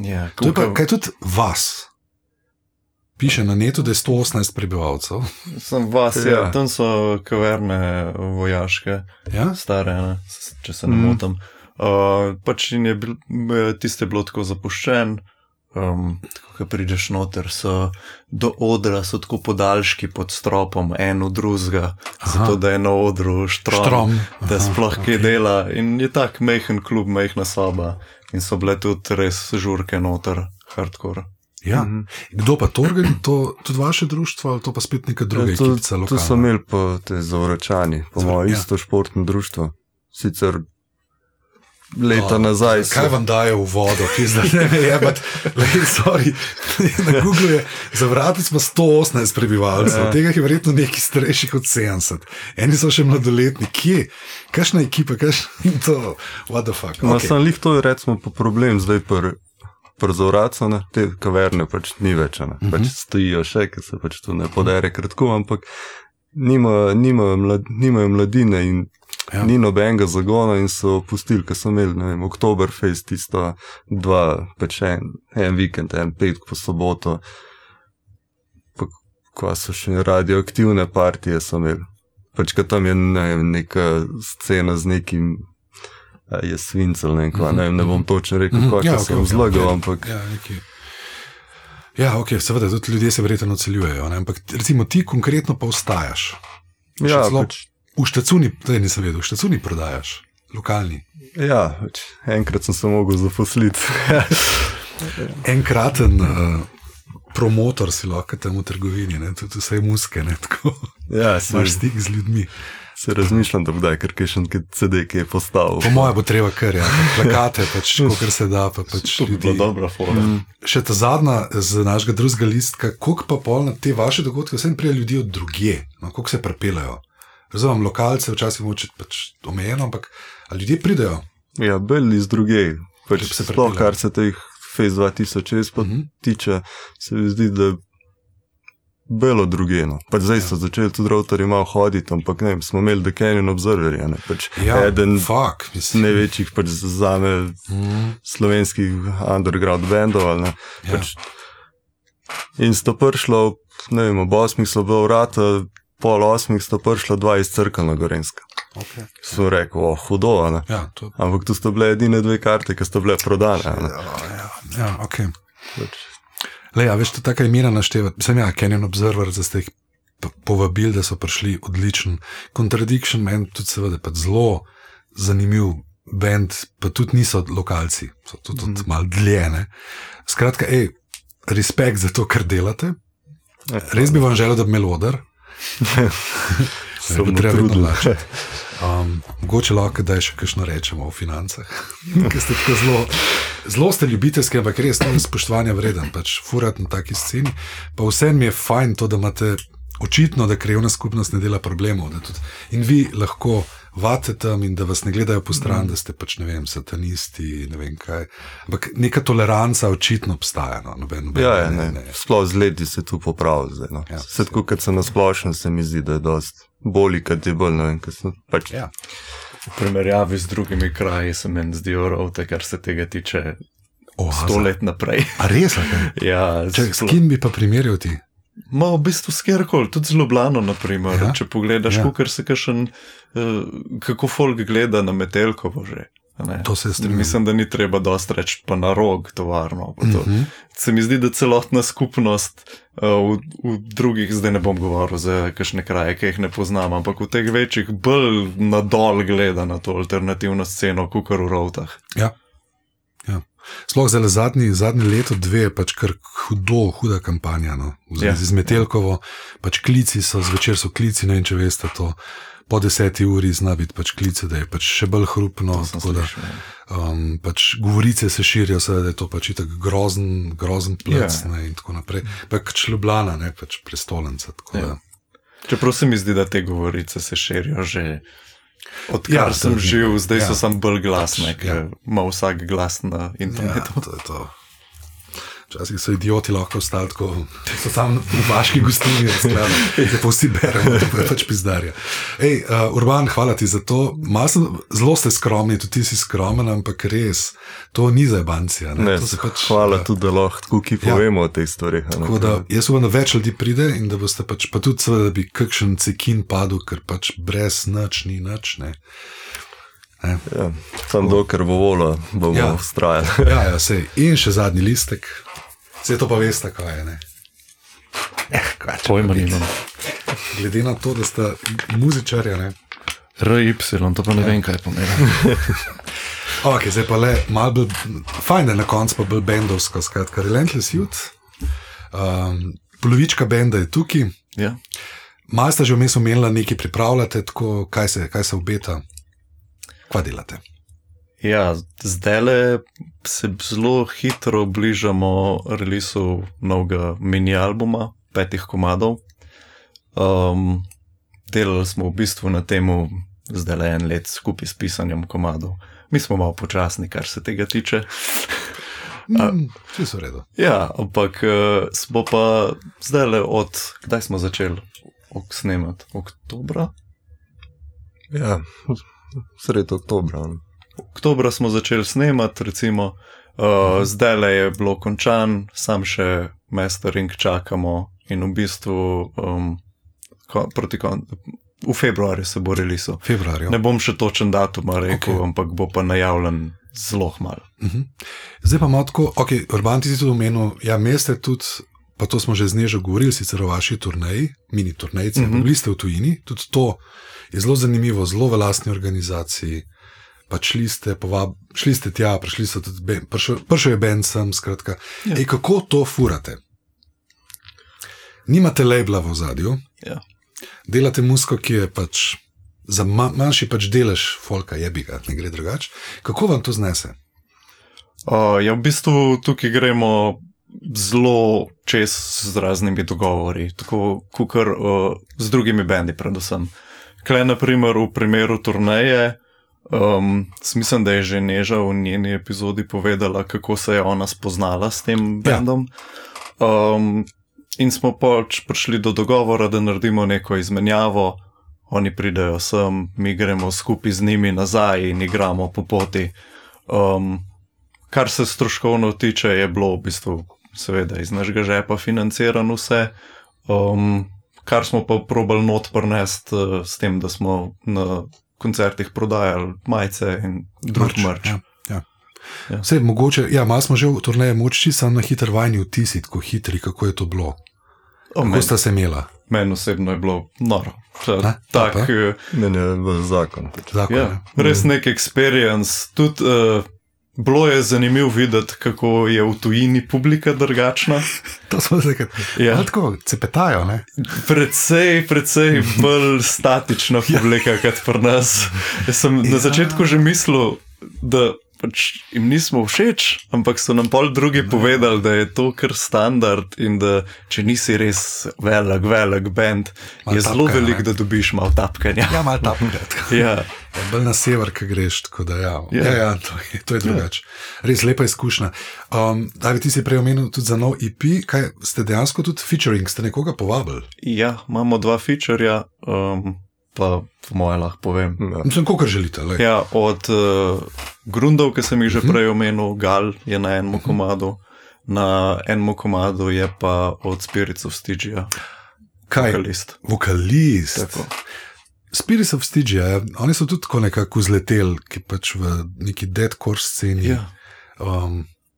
Ja, to je pa, kaj tudi vas? Piše na netu, da je 118 prebivalcev. Sem vas, ja. Tam so kaverne vojaške, stare, ne, če se ne motim. Pač tiste je bilo tako zapuščen, tako, ko prideš noter, do odra so tako podaljški pod stropom, en v drugega, zato da je na odru štrom, da sploh kaj dela. In je tak majhen klub, majhna soba in so bile tudi res žurke noter, hardcore. Ja, kdo pa to organizira, tudi vaše društvo ali to pa spet neka druga ekipica lokalna? Tu so imeli pa te Zavračani, po moje isto športno društvo, sicer leta nazaj. Kaj vam daje v vodo, pizda, ne me jebat, sorry, na Google je Zavratec pa 118 prebivalcev, tega je verjetno nekaj starejših od 70, eni so še mladoletni, kje? Kakšna ekipa, kakšna to, what the fuck? No, sem lih to je recimo pa problem zdaj pri Zavracu, te kaverne pač ni več, pač stojijo še, ker se pač tu ne podere kratko, ampak nimajo mladine in ni nobenega zagona in so pustili, ker so imeli, ne vem, Oktoberfest, tisto 2, pač en vikend, en petek po soboto, pa ko so še radioaktivne partije so imeli, pač ko tam je, ne vem, neka scena z nekim je svincel, ne bom točno rekel, kako sem zlagal, ampak... Ja, ok, seveda, tudi ljudje se verjetno celjujejo, ampak recimo ti konkretno pa ostajaš. Ja, pač... V Štacuni, to nisem vedel, v Štacuni prodajaš, lokalni. Ja, pač enkrat sem se mogel zaposliti. Enkraten promotor si lahko tam v trgovini, tudi vse muske, tako. Ja, imaš stik z ljudmi. Se razmišljam, da kdaj, ker še nekaj CD, ki je postavil. Po moje bo treba kar, plakate, pač, kolikor se da, pa pač ljudi. To je dobra forma. Še ta zadnja z našega drugega listka, koliko pa pol na te vaše dogodke, vsem prije ljudi od drugje, koliko se prepelajo. Razumem, lokalce včasih moče pač omejeno, ampak ljudje pridejo. Ja, bolj iz drugje, pač sploh kar se teh Fest 2006 pa tiče, se mi zdi, da belo drugeno. Pač zdaj so začeli tudi routerji malo hoditi, ampak ne vem, smo imeli The Canyon Observerja, pač eden največjih pač zame slovenskih underground bandov, ali ne. Pač in sto prišlo, ne vem, ob 8 so bilo vrata, pol 8 sto prišlo 2 iz Crkve na Gorenjska. Sem rekel, hudo, ne. Ampak tu sto bile edine 2 karte, ki sto bile prodane, ne. Ja, ok. Leja, veš, to taka imena naštevati. Mislim, Canyon Observer, da ste jih povabili, da so prišli odličen. Contradiction Man, tudi seveda, pa zelo zanimiv band, pa tudi niso lokalci, so tudi malo dlje, ne. Skratka, respekt za to, kar delate. Res bi vam želel, da bi imel oder. Se bomo trudili. Mogoče lahko, da še kakšno rečemo o financah. Ker ste tako zelo ste ljubiteljski, ampak res spoštovanja vreden, pač furati na taki sceni. Pa vsem mi je fajn to, da imate očitno, da krajevna skupnost ne dela problemov. Da tudi, in vi lahko vate tam in da vas ne gledajo po stran, da ste pač, ne vem, satanisti, ne vem kaj. Ampak neka toleranca očitno obstaja. No? Ne. Sploh z leti se tu popravi zdaj. No. Se tako, kad se nasplošno se mi zdi, da je dost bolj, kad je bolj, ne vem, kad sem pač... Ja. V primerjavi z drugimi kraji se meni zdijo rovte, kar se tega tiče 100 let naprej. A res? Ja. S kim bi pa primerjal ti? Ma v bistvu s kjerkoli, tudi z Ljubljano, naprimer. Ja? Če pogledaš, kako folk gleda na Metelkovo že. To se strinjam. Mislim, da ni treba dosti reči pa na Rog tovarno. Se mi zdi, da celotna skupnost v drugih, zdaj ne bom govoril za kakšne kraje, ki jih ne poznam, ampak v teh večjih bolj nadol gleda na to alternativno sceno, kakor v Rovtah. Ja. Sploh zdaj zadnji leto, dve je pač kar huda kampanja, no. Z Metelkovo, pač klici so, zvečer so klici, ne vem, če veste to, po 10 uri zna biti pač klice, da je pač še bolj hrupno, tako da pač govorice se širijo, da je to pač itak grozen plec, ne, in tako naprej. Pač Ljubljana, ne, pač prestolnica, tako da. Čeprav se mi zdi, da te govorice se širijo že odkar sem živ, zdaj so sam bolj glasne, ker ima vsak glas na internetu. Ja, to je to. Včasih so idioti lahko ostali tako, so tam v vaški gostilni, zdaj pa vsi beremo, to je pač pizdarja. Urban, hvala ti za to. Zelo ste skromni, tudi ti si skromen, ampak res, to ni zajebancija. Hvala tudi, da lahko tako ki povemo o tej stvari. Tako da, jaz upam, da več ljudi pride in da boste pač, pa tudi seveda, da bi kakšen cekin padel, ker pač brez nič ni nič, ne. Ja, tam dokler bo vola, bomo vztrajali. Ja, sej. In še zadnji listek. Vse to pa veste, kaj je, ne? Pojma nimam. Glede na to, da sta muzičarja, ne? RY, to pa ne vem, kaj pomeni. Ok, zdaj pa le malo bolj, fajn, da na koncu pa bolj bendovsko, skratka, Relentless Youth. Polovička benda je tukaj. Ja. Malo sta že vmes omenila, nekaj pripravljate, tako, kaj se obeta? Kva delate? Ja, zdajle se zelo hitro bližamo releasu novega mini-albuma, 5 komadov. Delali smo v bistvu na temu zdajle 1 let skupaj s pisanjem komadov. Mi smo malo počasni, kar se tega tiče. Vsi so v redu. Ja, ampak smo pa zdajle kdaj smo začeli snemati? Oktobra? Ja, sredi oktobra. Oktobra smo začeli snemati, recimo, zdajle je bilo končan, sam še mastering čakamo in v bistvu v februarju se bo releasal. Ne bom še točen datum rekel, ampak bo pa najavljen zelo malo. Zdaj pa malo tako, Urban, ti si tudi omenil, ja, meste tudi, pa to smo že z Nežo govorili, sicer o vaši turneji, mini turnejci, bili ste v tujini, tudi to je zelo zanimivo, zelo v lastni organizaciji. Pač šli ste tja, prišel je band sem, skratka. Ja. Kako to furate? Nimate labela v ozadju, delate muziko, ki je pač za manjši pač delež folka, jebiga, ne gre drugače. Kako vam to znese? Ja, v bistvu tukaj gremo zelo čez z raznimi dogovori, tako kukar z drugimi bendi predvsem. Kle, naprimer, v primeru turneje, mislim, da je že Neža v njeni epizodi povedala, kako se je ona spoznala s tem bendom. In smo pač prišli do dogovora, da naredimo neko izmenjavo, oni pridejo sem, mi gremo skupaj z njimi nazaj in igramo po poti. Kar se stroškovno tiče, je bilo v bistvu seveda iz našega žepa financirano vse, kar smo pa probali not prinesti s tem, da smo na koncertih prodajali majice in drug merch. Vse mogoče, malo smo že v turneji moči, samo na hiter vajni vtisi, tako hitri, kako je to bilo. Kako sta se imela? Meni osebno je bilo noro. Meni je bil zakon. Res nek experience. Tudi bilo je zanimivo videti, kako je v tujini publika drugačna. To smo zdaj, tako cepetajo, ne? Precej bolj statična publika, kot pri nas. Jaz sem na začetku že mislil, da pač jim nismo všeč, ampak so nam pol drugi povedali, da je to kar standard in da če nisi res velik band, je zelo velik, da dobiš malo tapkanja. Ja, malo tapkanja. Ja. Bolj na sever, kaj greš, tako da ja, to je drugače. Res lepa izkušnja. David, ti si prej omenil tudi za nov EP, kaj ste dejansko tudi featuring, ste nekoga povabili? Ja, imamo 2 featurja, pa po moje lahko povem. Mislim, kolikor želite. Ja, od Grundov, ki sem jih že prej omenil, Gal je na enem komadu, na enem komadu je pa od Spirits of Stygia. Kaj? Vokalist. Tako. Spirits of Stygia, oni so tudi tako nekako vzleteli, ki pač v neki deadcore sceni. Ja.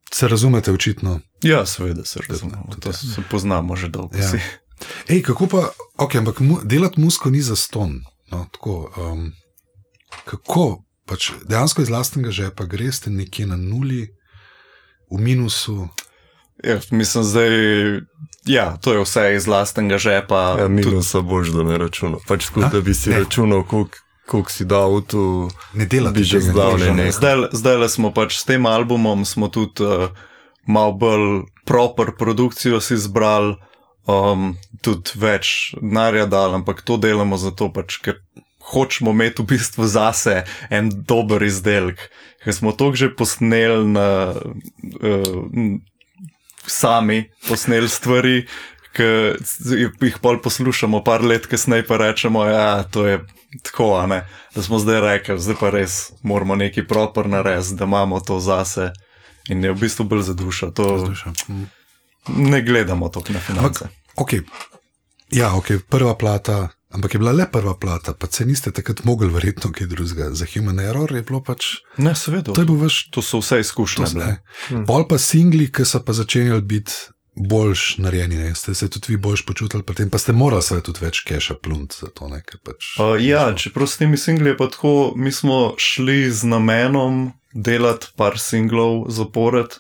Se razumete očitno? Ja, seveda se razumemo. To se poznamo že dolgo. Ja. Ej, kako pa, ampak delati muziko ni zastonj. No, tako, kako, pač dejansko iz lastnega žepa greste nekje na nuli, v minusu? Ja, mislim zdaj, to je vse iz lastnega žepa. Ja, minusa boš, da ne računal. Pač tako, da bi si računal, koliko si dal v to, ne delati bi že zdavljene. Zdaj smo pač s tem albumom smo tudi malo bolj proper produkcijo si izbrali, tudi več denarja dal, ampak to delamo zato pač, ker hočemo imeti v bistvu zase en dober izdelek, ker smo toliko že posneli sami posneli stvari, ki jih pol poslušamo par let kasneje pa rečemo, to je tako, da smo zdaj rekli, zdaj pa res moramo nekaj proper narediti, da imamo to zase in je v bistvu bolj za dušo. Ne gledamo toliko na finance. Prva plata, ampak je bila le prva plata, pa se niste takrat mogli verjetno kaj drugega. Za Human Error je bilo pač... Ne, seveda, to so vse izkušnje. Pol pa singli, ki so pa začenjali biti boljš narejeni, ste se tudi vi boljš počutili pri tem, pa ste morali se tudi več keša plunt za to, ker pač... čeprav s temi singli je pa tako, mi smo šli z namenom delati par singlov zapored,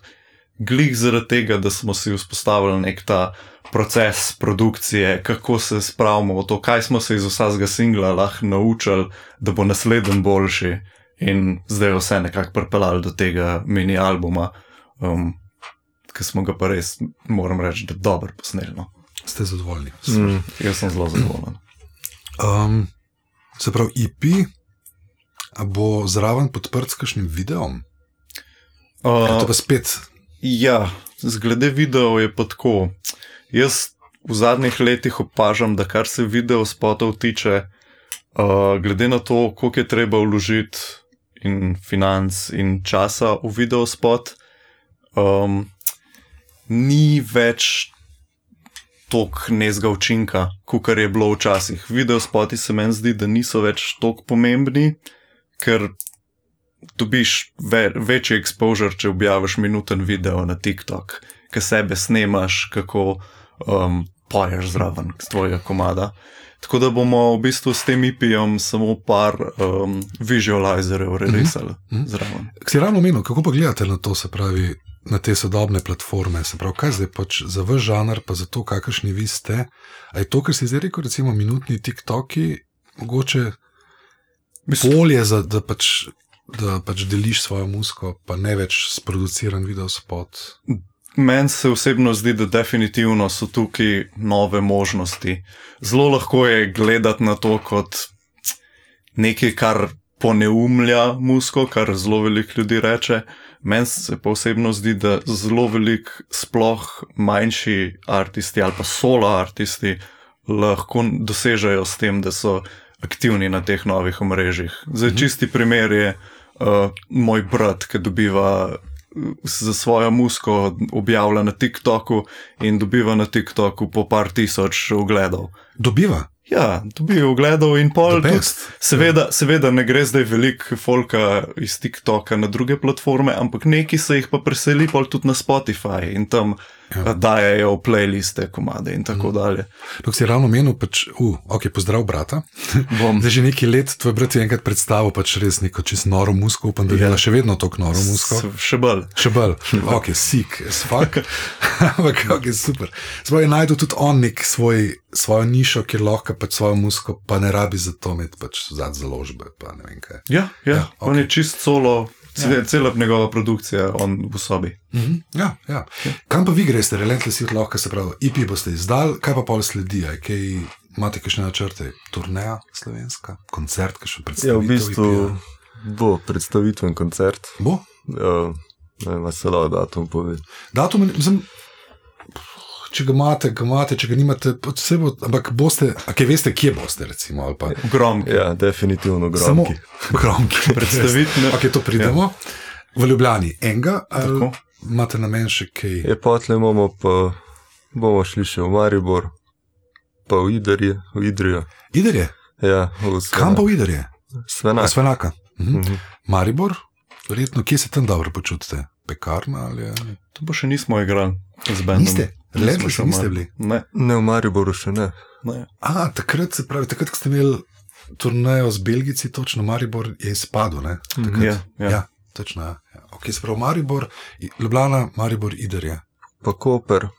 glih zaradi tega, da smo si vzpostavili nek ta proces produkcije, kako se spravimo v to, kaj smo se iz vsakega singla lahko naučili, da bo naslednji boljši in zdaj je vse nekako pripeljali do tega mini albuma, ki smo ga pa res, moram reči, da dobro posneli. Ste zadovoljni? Jaz sem zelo zadovoljen. Se pravi, EP, a bo zraven podprt s kakšnim videom? To pa spet... Ja, zglede video je pa tako. Jaz v zadnjih letih opažam, da kar se video spotov tiče, glede na to, koliko je treba vložiti in financ in časa v video spot, ni več toliko nezga učinka, kakor je bilo včasih. Video spoti se meni zdi, da niso več toliko pomembni, ker dobiš večji exposure, če objaviš minuten video na TikTok, ki sebe snemaš, kako poješ zraven z tvojega komada. Tako da bomo v bistvu s tem EP-jem samo par visualizerjev relisali zraven. Si ravno omenil, kako pa gledate na to, se pravi, na te sodobne platforme, se pravi, kaj zdaj pač za vaš žanr, pa za to, kakršni vi ste, a je to, kar si zdaj rekel, recimo minutni TikToki, mogoče bolje, da pač deliš svojo muziko, pa ne več sproduciran videospot? Meni se osebno zdi, da definitivno so tukaj nove možnosti. Zelo lahko je gledati na to kot nekaj, kar poneumlja muziko, kar zelo veliko ljudi reče. Meni se pa osebno zdi, da zelo veliko sploh manjši artisti ali pa solo artisti lahko dosežejo s tem, da so aktivni na teh novih omrežjih. Zdaj, čisti primer je moj brat, ki dobiva za svojo muziko objavlja na TikToku in dobiva na TikToku po par tisoč ogledov. Dobiva? Ja, dobiva ogledov in pol. Seveda ne gre zdaj veliko folka iz TikToka na druge platforme, ampak neki se jih pa preseli pol tudi na Spotify in tam dajajo playliste, komade in tako dalje. Dok si ravno menil, pač, pozdrav brata. Zdaj že nekaj let tvoj brat je enkrat predstavil pač res neko čisto noro muziko, upam, da dela še vedno toliko noro muziko. Še bolj. Sick as fuck. Ampak, super. Zdaj je najdel tudi on nek svojo nišo, kjer lahko pač svojo muziko, pa ne rabi za to imeti pač založbe, pa ne vem kaj. Ja, on je čist solo Cela njegova produkcija, on v sobi. Ja. Kam pa vi greste, Relentless Youth lahko, se pravi, EP boste izdali, kaj pa pol sledi, kaj imate kakšne načrte, turneja slovenska, koncert, kakšen predstavitev? Ja, v bistvu bo predstavitven koncert. Bo? Ne vem, se lahko datum pove. Datum, mislim, če ga imate, če ga nimate, ampak boste, kaj veste, kje boste, recimo, ali pa... Gromki. Ja, definitivno Gromki. Samo Gromki. Predstavitne. Ok, to pridemo. V Ljubljani enga, ali imate namen še kaj? Je potle imamo pa, bomo šli še v Maribor, pa v Idrijo. Idrije? Ja, kam pa v Idrije? Svenaka. Maribor? Verjetno, kje se tam dobro počutite? Pekarna ali... To pa še nismo igrali z bandom. Niste? Relentless niste bili? Ne, v Mariboru še ne. Takrat, ko ste imeli turnejo z Belgijci, točno Maribor je izpadel, ne? Ja, točno, ja. Ok, se pravi Maribor, Ljubljana, Maribor, Idrije. Pa Koper.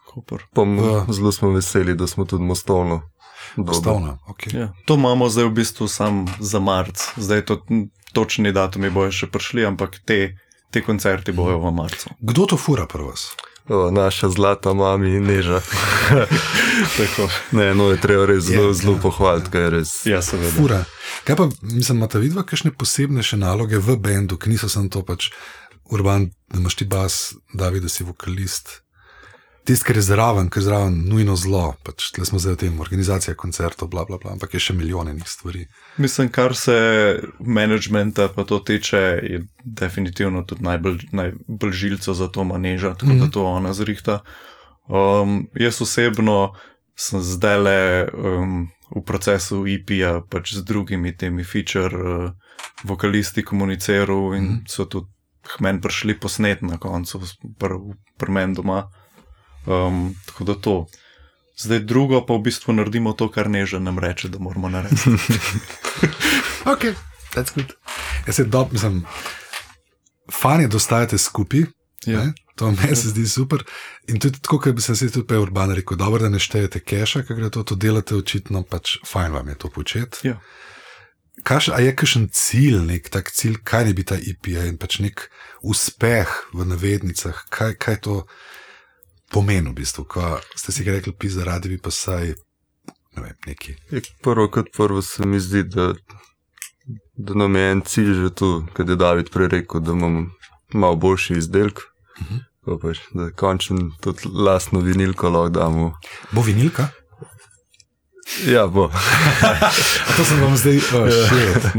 Zelo smo veseli, da smo tudi Mostovno. Mostovno, ok. Ja. To imamo zdaj v bistvu sam za marc. Zdaj to točni datumi bojo še prišli, ampak te koncerti bojo v marcu. Kdo to fura pri vas? Naša zlata mami Neža. Tako. Ne, je treba res zelo pohvaliti, kaj je res. Ja, seveda. Fura. Kaj pa, mislim, imate vidva kakšne posebne še naloge v bendu, ki niso samo to pač Urban, da imaš ti bas, David, da si vokalist. Tist, ker je zraven nujno zlo, pač tle smo zdaj v tem, organizacija koncertov, bla, bla, bla, ampak je še milijonenih stvari. Mislim, kar se managementa pa to tiče, je definitivno tudi najbolj žilco za to Neža, tako da to ona zrihta. Jaz osebno sem zdajle v procesu EP-ja pač z drugimi temi feature vokalisti komuniciral in so tudi meni prišli posnet na koncu pri meni doma. Tako da to. Zdaj drugo pa v bistvu naredimo to, kar Neža nam reče, da moramo narediti. Ok, that's good. Jaz mislim, fan je, da ostajate skupaj, to meni se zdi super. In tudi tako, kot bi se tudi pa Urban rekel, dobro, da ne štejete keša, ker gre to delate očitno, pač fajn vam je to početi. Ja. A je kakšen cilj, nek tak cilj, kaj ne bi ta EP in pač nek uspeh v navednicah, kaj to pomeni v bistvu, ko ste si ga rekli, pizda, radi bi pa saj, ne vem, neki. Prvo se mi zdi, da nam je en cilj že tu, kad je David prej rekel, da imam malo boljši izdelk, pa pač, da končen tudi lastno vinilko lahko damo. Bo vinilka? Ja, bo. A to sem vam zdaj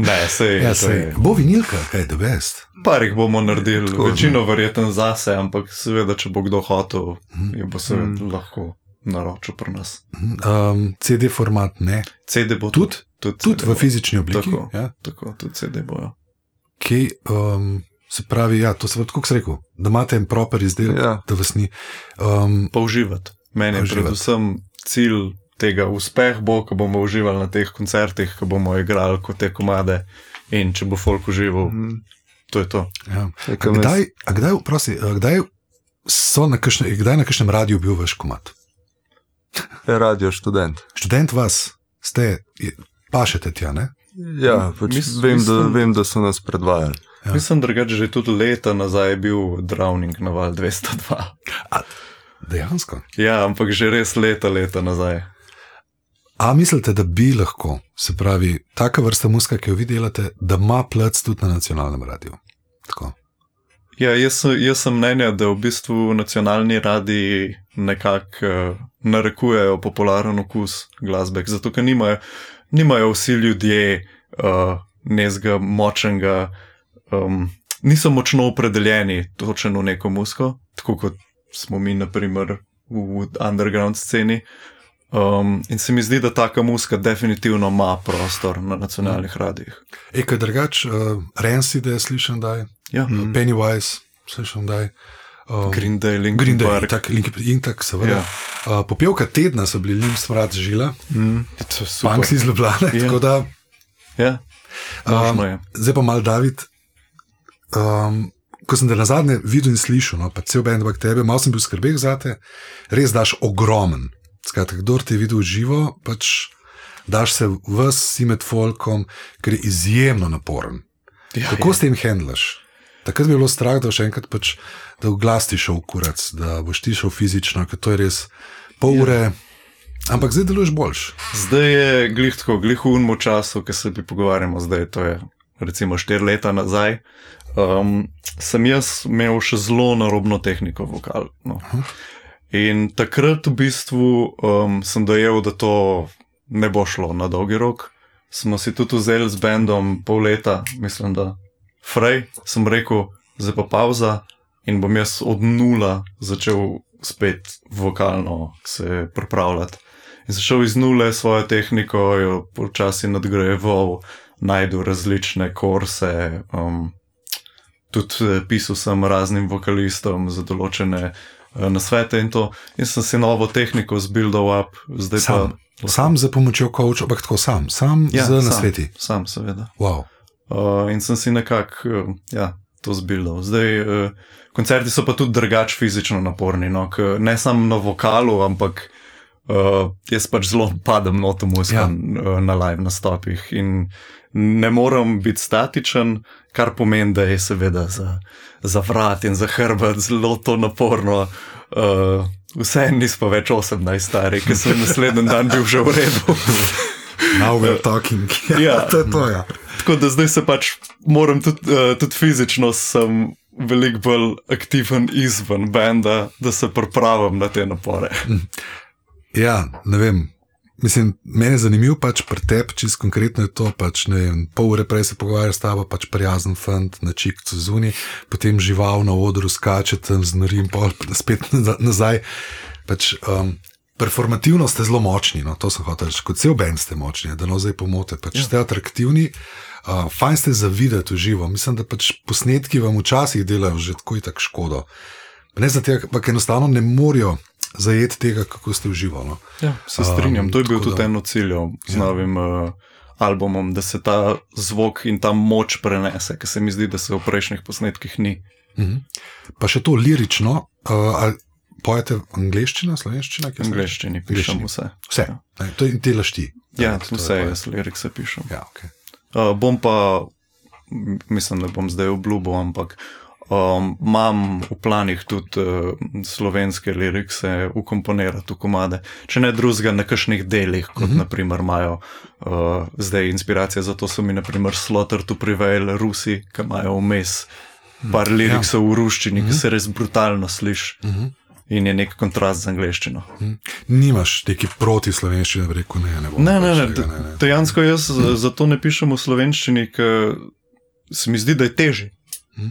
Ne, sej. Bo vinilka, kaj je the best? Parih bomo naredili, večino verjetno zase, ampak seveda, če bo kdo hotel, je bo seveda lahko naročil pri nas. CD format ne? CD bo tudi v fizični obliki? Tako, tudi CD bojo. Kaj, se pravi, ja, to se tako se rekel, da imate en proper izdelek, da vas ni. Pa uživati. Meni je predvsem cilj tega uspeh bo, ko bomo uživali na teh koncertih, ko bomo igrali kot te komade in če bo folk užival, to je to. Ja. Kdaj na kakšnem radiju bil vaš komad? Radio Študent. Študent vas, pašete tja, ne? Ja, pač vem, da so nas predvajali. Ja. Mislim, drugače, že tudi leta nazaj je bil Drowning na Val 202. Dejansko? Ja, ampak že res leta nazaj. A mislite, da bi lahko, se pravi, taka vrsta muzika, ki jo vi delate, da ima plac tudi na nacionalnem radiju? Tako. Ja, jaz sem mnenja, da v bistvu nacionalni radiji nekako narekujejo popularen okus glasbe, zato ker nimajo vsi ljudje nezga močnega, niso močno opredeljeni točno v neko muziko, tako kot smo mi, naprimer, v underground sceni. In se mi zdi, da taka muzika definitivno ima prostor na nacionalnih radijih. Kaj drugač, Rancid je slišan daj, Pennywise slišan daj, Green Day, Linkin Park. In tak, seveda. Popevka tedna so bili Limp Smrad Žila, Punks iz Ljubljane, tako da... Ja, možno je. Zdaj pa mal, David, ko sem te nazadnje videl in slišal, pa cel band bak tebe, malo sem bil skrbeh zate, res daš ogromen. Skratka, kdor te je videl živo, pač daš se vsi med folkom, ker je izjemno naporen. Kako s tem handlaš Takrat bi bilo strah, da še enkrat pač, da v glas ti šel kurac, da boš ti šel fizično, ker to je res pol ure, ampak zdaj deluješ boljš. Zdaj je glih tako, glih v unmu času, ki se bi pogovarjamo zdaj, to je recimo 4 leta nazaj, sem jaz imel še zelo narobno tehniko vokal. No. In takrat v bistvu sem dojel, da to ne bo šlo na dolgi rok. Smo si tudi vzeli z bandom pol leta, mislim, da Frej, sem rekel, zdaj pa pauza in bom jaz od nula začel spet vokalno se pripravljati. In začel iz nule svojo tehniko, jo počasi nadgrajeval, najdu različne kurse, tudi pisal sem raznim vokalistom za določene nasvete in to. In sem si novo tehniko zbuildal up. Zdaj sam za pomočjo coacha, ampak tako sam z nasveti? Sam, seveda. Wow. In sem si nekako to zbuildal. Zdaj, koncerti so pa tudi drugače fizično naporni, no, ne samo na vokalu, ampak jaz pač zelo padem noto muzika na live nastopih in ne morem biti statičen, kar pomeni, da je seveda za vrat in za hrbet zelo to naporno. Vse nis pa več 18 stari, ker sem naslednji dan bil že v redu. Now we're talking. To je to, ja. Tako da zdaj se pač moram tudi fizično sem veliko bolj aktiven izven benda, da se pripravim na te napore. Ja, ne vem. Mislim, meni je zanimiv pač pri tebi, čisto konkretno je to, pač ne vem, pol ure prej se pogovarja s tabo, pač prijazen fant na čikcu zunaj, potem žival na odru skače tam z norim, pol spet nazaj. Pač performativno ste zelo močni, no, to sem hotel reči, kot cel band ste močni, da no zdaj pomote, pač ste atraktivni, fajn ste za videti v živo, mislim, da pač posnetki vam včasih delajo že tako in tako škodo. Ne za tega, ampak enostavno ne morajo zajeti tega, kako ste v živo. No. Ja, se strinjam, to je bil tudi eno ciljo z novim albumom, da se ta zvok in ta moč prenese, ker se mi zdi, da se v prejšnjih posnetkih ni. Pa še to lirično, pojete angleščina, slovenščina? Angleščini, pišem vse. Vse, to je delaš ti. Ja, vse jaz lirikse pišem. Ja, okay. Bom pa, mislim, da bom zdaj obljubil, ampak imam v planih tudi slovenske lirikse ukomponirati v komade. Če ne drugega na kakšnih delih, kot naprimer imajo zdaj inspiracija, zato so mi naprimer Slaughter to Prevail Rusi, ki imajo vmes par liriksov v ruščini, ki se res brutalno sliši. In je nek kontrast z angleščino. Nimaš neki proti slovenščini, da bi rekel ne bom. Ne. Dejansko jaz zato ne pišem v slovenščini, ker se mi zdi, da je težje.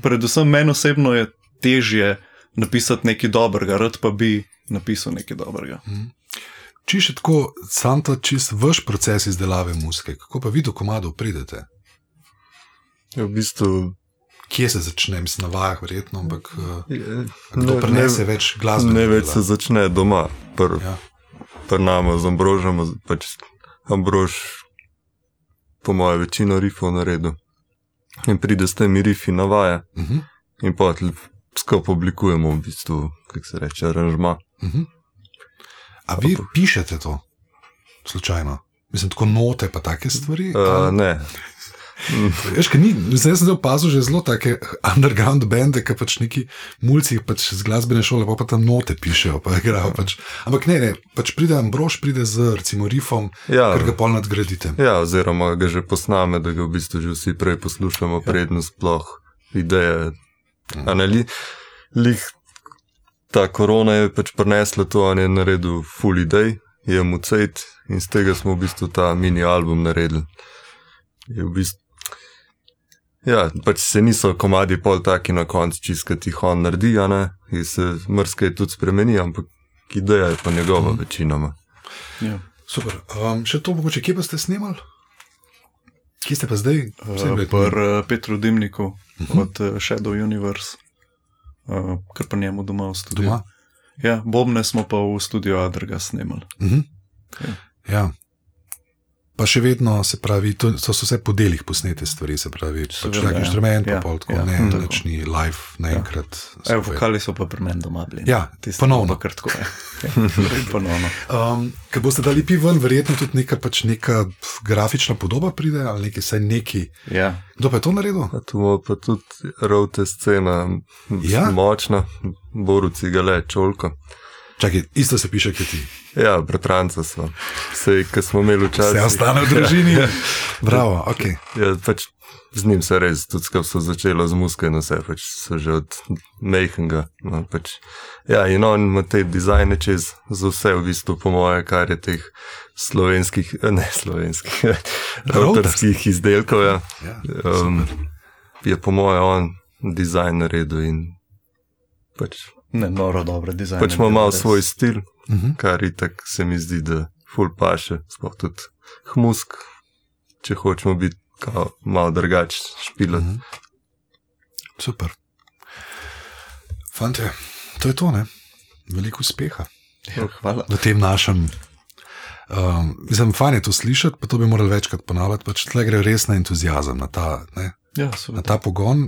Predvsem meni osebno je težje napisati nekaj dobrega, rad pa bi napisal nekaj dobrega. Če še tako, sam ta čist vaš proces izdelave muzike, kako pa vi do komadov pridete? Ja, v bistvu kje se začne, mislim, na vajah verjetno, ampak kdo prenese več glasbe? Ne več se začne doma, pri nama z Ambrožem, pač Ambrož po moje večino rifov naredil in pride s temi rifi na vaje in potem skupaj oblikujemo v bistvu, kako se reče, aranžma. A vi pišete to slučajno? Mislim, tako note pa take stvari? Ne. Veš, kaj ni, zdaj sem opazil že zelo take underground bende, ki pač neki mulci pač z glasbene šole pa tam note pišejo, pa igrajo pač. Ampak ne, pač pride Ambrož, pride z recimo riffom, ker ga pol nadgradite. Ja, oziroma ga že posname, da ga v bistvu že vsi prej poslušamo, predno sploh ideje. Lih ta korona je pač prinesla to, on je naredil full idej, je mu cejt in z tega smo v bistvu ta mini album naredili. Je v bistvu ja, pač se niso komadi pol taki na koncu čisto tih on naredi, in se mrskaj tudi spremeni, ampak ideja je pa njegova večinoma. Ja. Super. Še to mogoče, kje pa ste snimali? Kje ste pa zdaj? Pri Petru Dimniku od Shadow Universe, kar pa njemu doma v studiu. Doma? Ja, Bobne smo pa v studiu Adrga snimali. Ja. Pa še vedno, se pravi, to so vse po delih posnete stvari, se pravi, pač tak inštrument, pa pol tako, nič ni live naenkrat. Vokali so pa pri meni doma bili. Ja, ponovno. Pa kar tako je. Ponovno. Ko boste dali piven, verjetno tudi neka grafična podoba pride, ali saj neki. Ja. Kdo pa je to naredil? Tu ima pa tudi route scena, močna, Boruci Gale, Čolko. Čakaj, isto se piše, kot ti. Ja, bratranca smo. Sej, ko smo imeli včasih. Vse ostane v družini. Bravo, ok. Ja, pač z njim se res, tudi skap so začelo z muske in vse, pač so že od majhnega. No, pač. Ja, in on ima te dizajne čez za vse v bistvu, po moje, kar je teh avtorskih izdelkov. Ja. Je po moje on dizajn naredil in pač noro dobre dizajne. Pač ima malo svoj stil, kar itak se mi zdi, da ful paše, sploh tudi hmusk, če hočemo biti malo drugač špilati. Super. Fantje, to je to, ne? Veliko uspeha. Ja, hvala. V tem našem, mislim, fajn je to slišati, pa to bi morali večkrat ponavljati, pač tle gre res na entuziazem, na ta, ne? Ja, na ta pogon.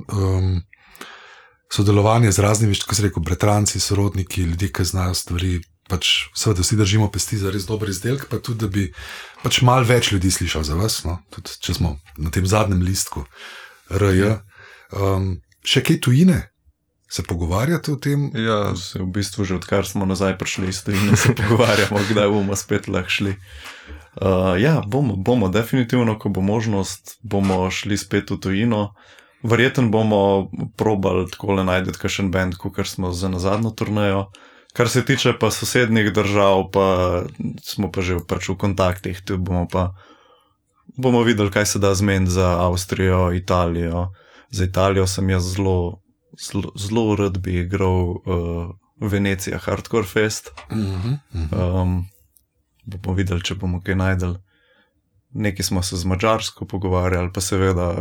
Sodelovanje z raznimi, kot se rekel, bratranci, sorodniki, ljudje, ki znajo stvari, pač seveda vsi držimo pesti za res dober izdelek, pa tudi, da bi pač malo več ljudi slišal za vas, no? Tudi če smo na tem zadnjem listku RJ. Še kaj tujine? Se pogovarjate o tem? Ja, se v bistvu že odkar smo nazaj prišli iz tujine, se pogovarjamo, kdaj bomo spet lahko šli. Ja, bomo definitivno, ko bo možnost, bomo šli spet v tujino. Verjetno bomo probali takole najdeti kakšen band, kakor smo za nazadnjo turnejo. Kar se tiče pa sosednjih držav, pa smo pa že pač v kontaktih, tu bomo videli, kaj se da zmeniti za Avstrijo, Italijo. Za Italijo sem jaz zelo rad bi igral Venecija Hardcore Fest. Bomo videli, če bomo kaj najdeli. Nekaj smo se z Madžarsko pogovarjali, pa seveda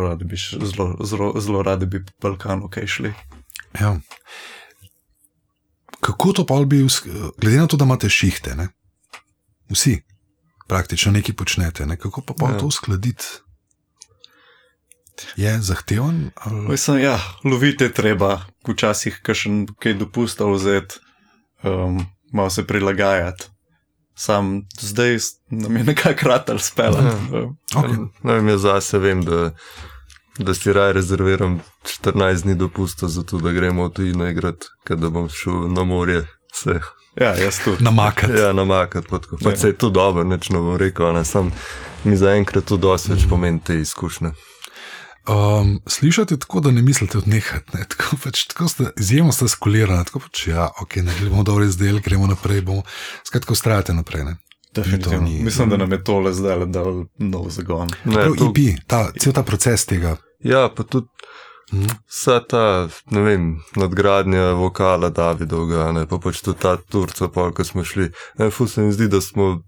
zelo radi bi po Balkanu kaj šli. Ja. Kako to pa bi, glede na to, da imate šihte, ne? Vsi praktično nekaj počnete, ne? Kako pa to uskladiti? Je zahteven? Mislim, ja, lovite treba, včasih kaj dopusta vzeti, malo se prilagajati. Sam zdaj nam je nekako ratal spelati. Okay. Jaz zase vem, da si raj rezerviram 14 dni dopusta za to, da gremo v tujino igrati, da bom šel na morje se. Ja, jaz tudi. Namakati. Ja, namakati. Pa se je to dobro, neč ne bom rekel, ne, sam mi zaenkrat to dosti več pomeni te izkušnje. Slišate tako, da ne mislite odnehati, ne? Tako ste izjemno skolirani, tako pač ja, ok, ne bomo dobro izdelali, gremo naprej, skratka ustrajate naprej, ne? Definitivno. Mislim, da nam je tole zdaj dal nov zagon. Cel ta proces tega. Ja, pa tudi vsa ta, ne vem, nadgradnja vokala Davidovga, ne, pa pač tudi ta Turca, ko smo šli, ne, ful se mi zdi, da smo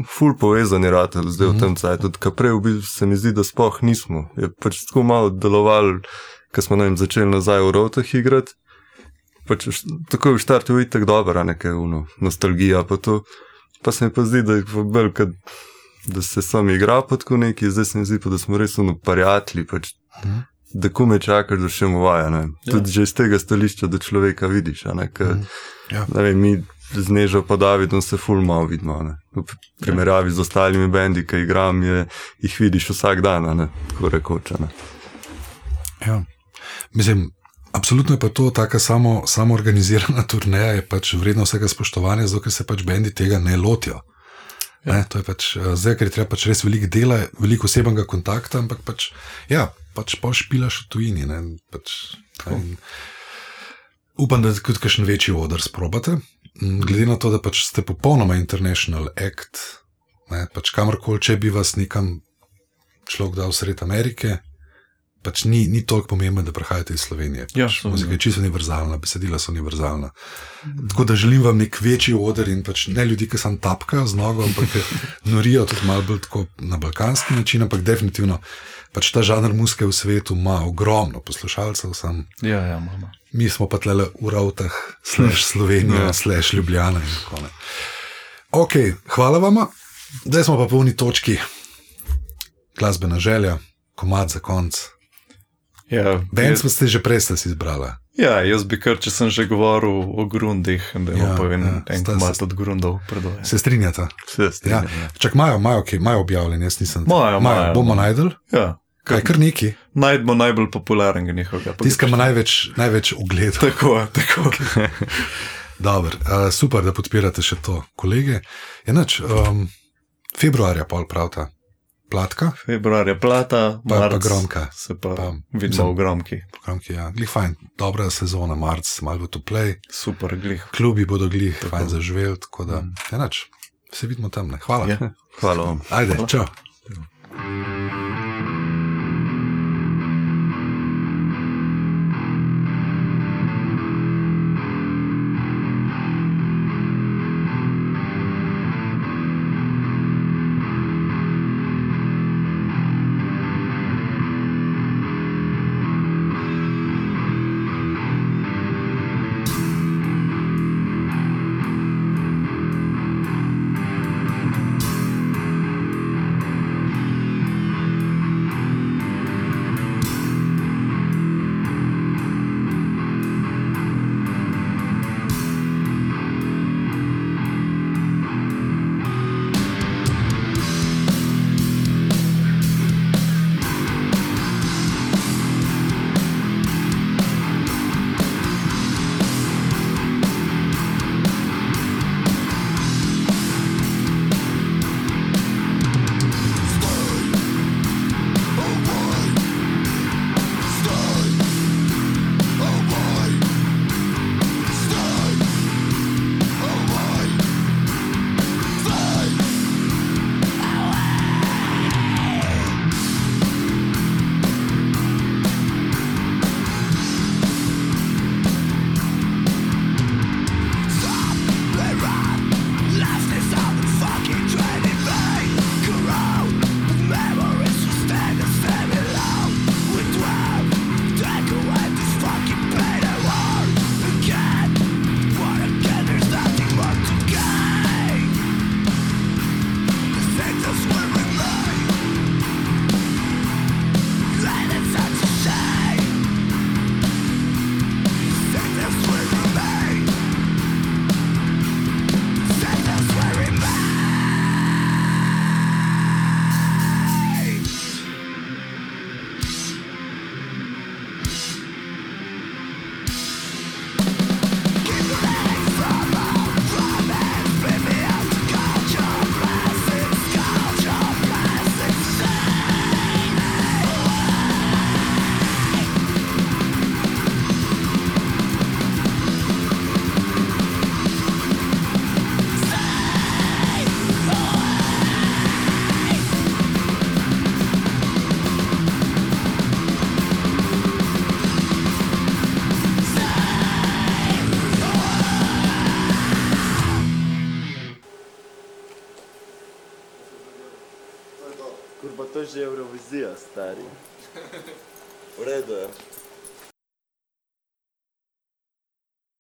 ful povezani rateli zdaj v tem cajtu, tudi prej se mi zdi, da sploh nismo. Je pač tako malo delovali, ko smo začeli nazaj v Rovtah igrati, pač tako je v štartu itak dobra nekaj nostalgija, pa to, pa se mi pa zdi, da je bolj, da se sam igra pa tako neki, zdaj se mi zdi pa, da smo res prijatelji, pač, da kome čakaš, da še mu vaja, ne. Tudi že iz tega stališča, da človeka vidiš, ne, ne vem, mi z Nežo pa Davidom se ful malo vidimo, ne. V primerjavi z ostalimi bendi, ki igram, jih vidiš vsak dan, ne, tako rekoč, ne. Ja, mislim, absolutno je pa to taka samoorganizirana turneja, je pač vredno vsega spoštovanja, zato ker se pač bendi tega ne lotijo. Ja. To je pač, zdaj, ker je treba pač res veliko dela, veliko osebnega kontakta, ampak pač, ja, pač pol špilaš v tujini, ne, pač, upam, da tudi kakšen večji oder sprobate. Glede na to, da pač ste popolnoma international act, ne, pač kamorkoli, če bi vas nekam človek dal sred Amerike, pač ni toliko pomembno, da prihajate iz Slovenije. Ja, muzika je čisto univerzalna, besedila so univerzalna. Tako da želim vam nek večji oder in pač ne ljudi, ki sam tapkajo z nogo, ampak norijo tudi malo bolj tako na balkanski način, ampak definitivno pač ta žanr muzike v svetu ima ogromno poslušalcev. Ja, mama. Mi smo pa tlele v Rovtah, /Slovenija, /Ljubljana in tako ne. Ok, hvala vama. Zdaj smo pa po uni točki. Glasbena želja, komad za konc. Ja, Band ste že prej si izbrala. Ja, jaz bi kar, če sem že govoril o grundih, da imam pa en komad od grundov predvoj. Se strinjata? Se strinjata. Ja. Čak, imajo objavljeni, jaz nisem. Imajo. Bomo najdel? Ja. Kaj, kar neki? Najdemo najbolj popularnega njihovega. Tiskamo največ ogledov. Tako. Okay. Dobar, super, da podpirate še to, kolege. Enač, februarja pol pravta. Platka. Februarja plata, marc. Pa gromka. Se pa vidimo v gromki. Gromki, ja. Glih fajn, dobra sezona, marc, malo bo to play. Super, glih. Klubi bodo glih, fajn zaživel, tako da, enač, se vidimo tam, ne. Hvala. Ja. Hvala vam. Ajde, čau. Kurba, to je že Eurovizija, stari. V redu je.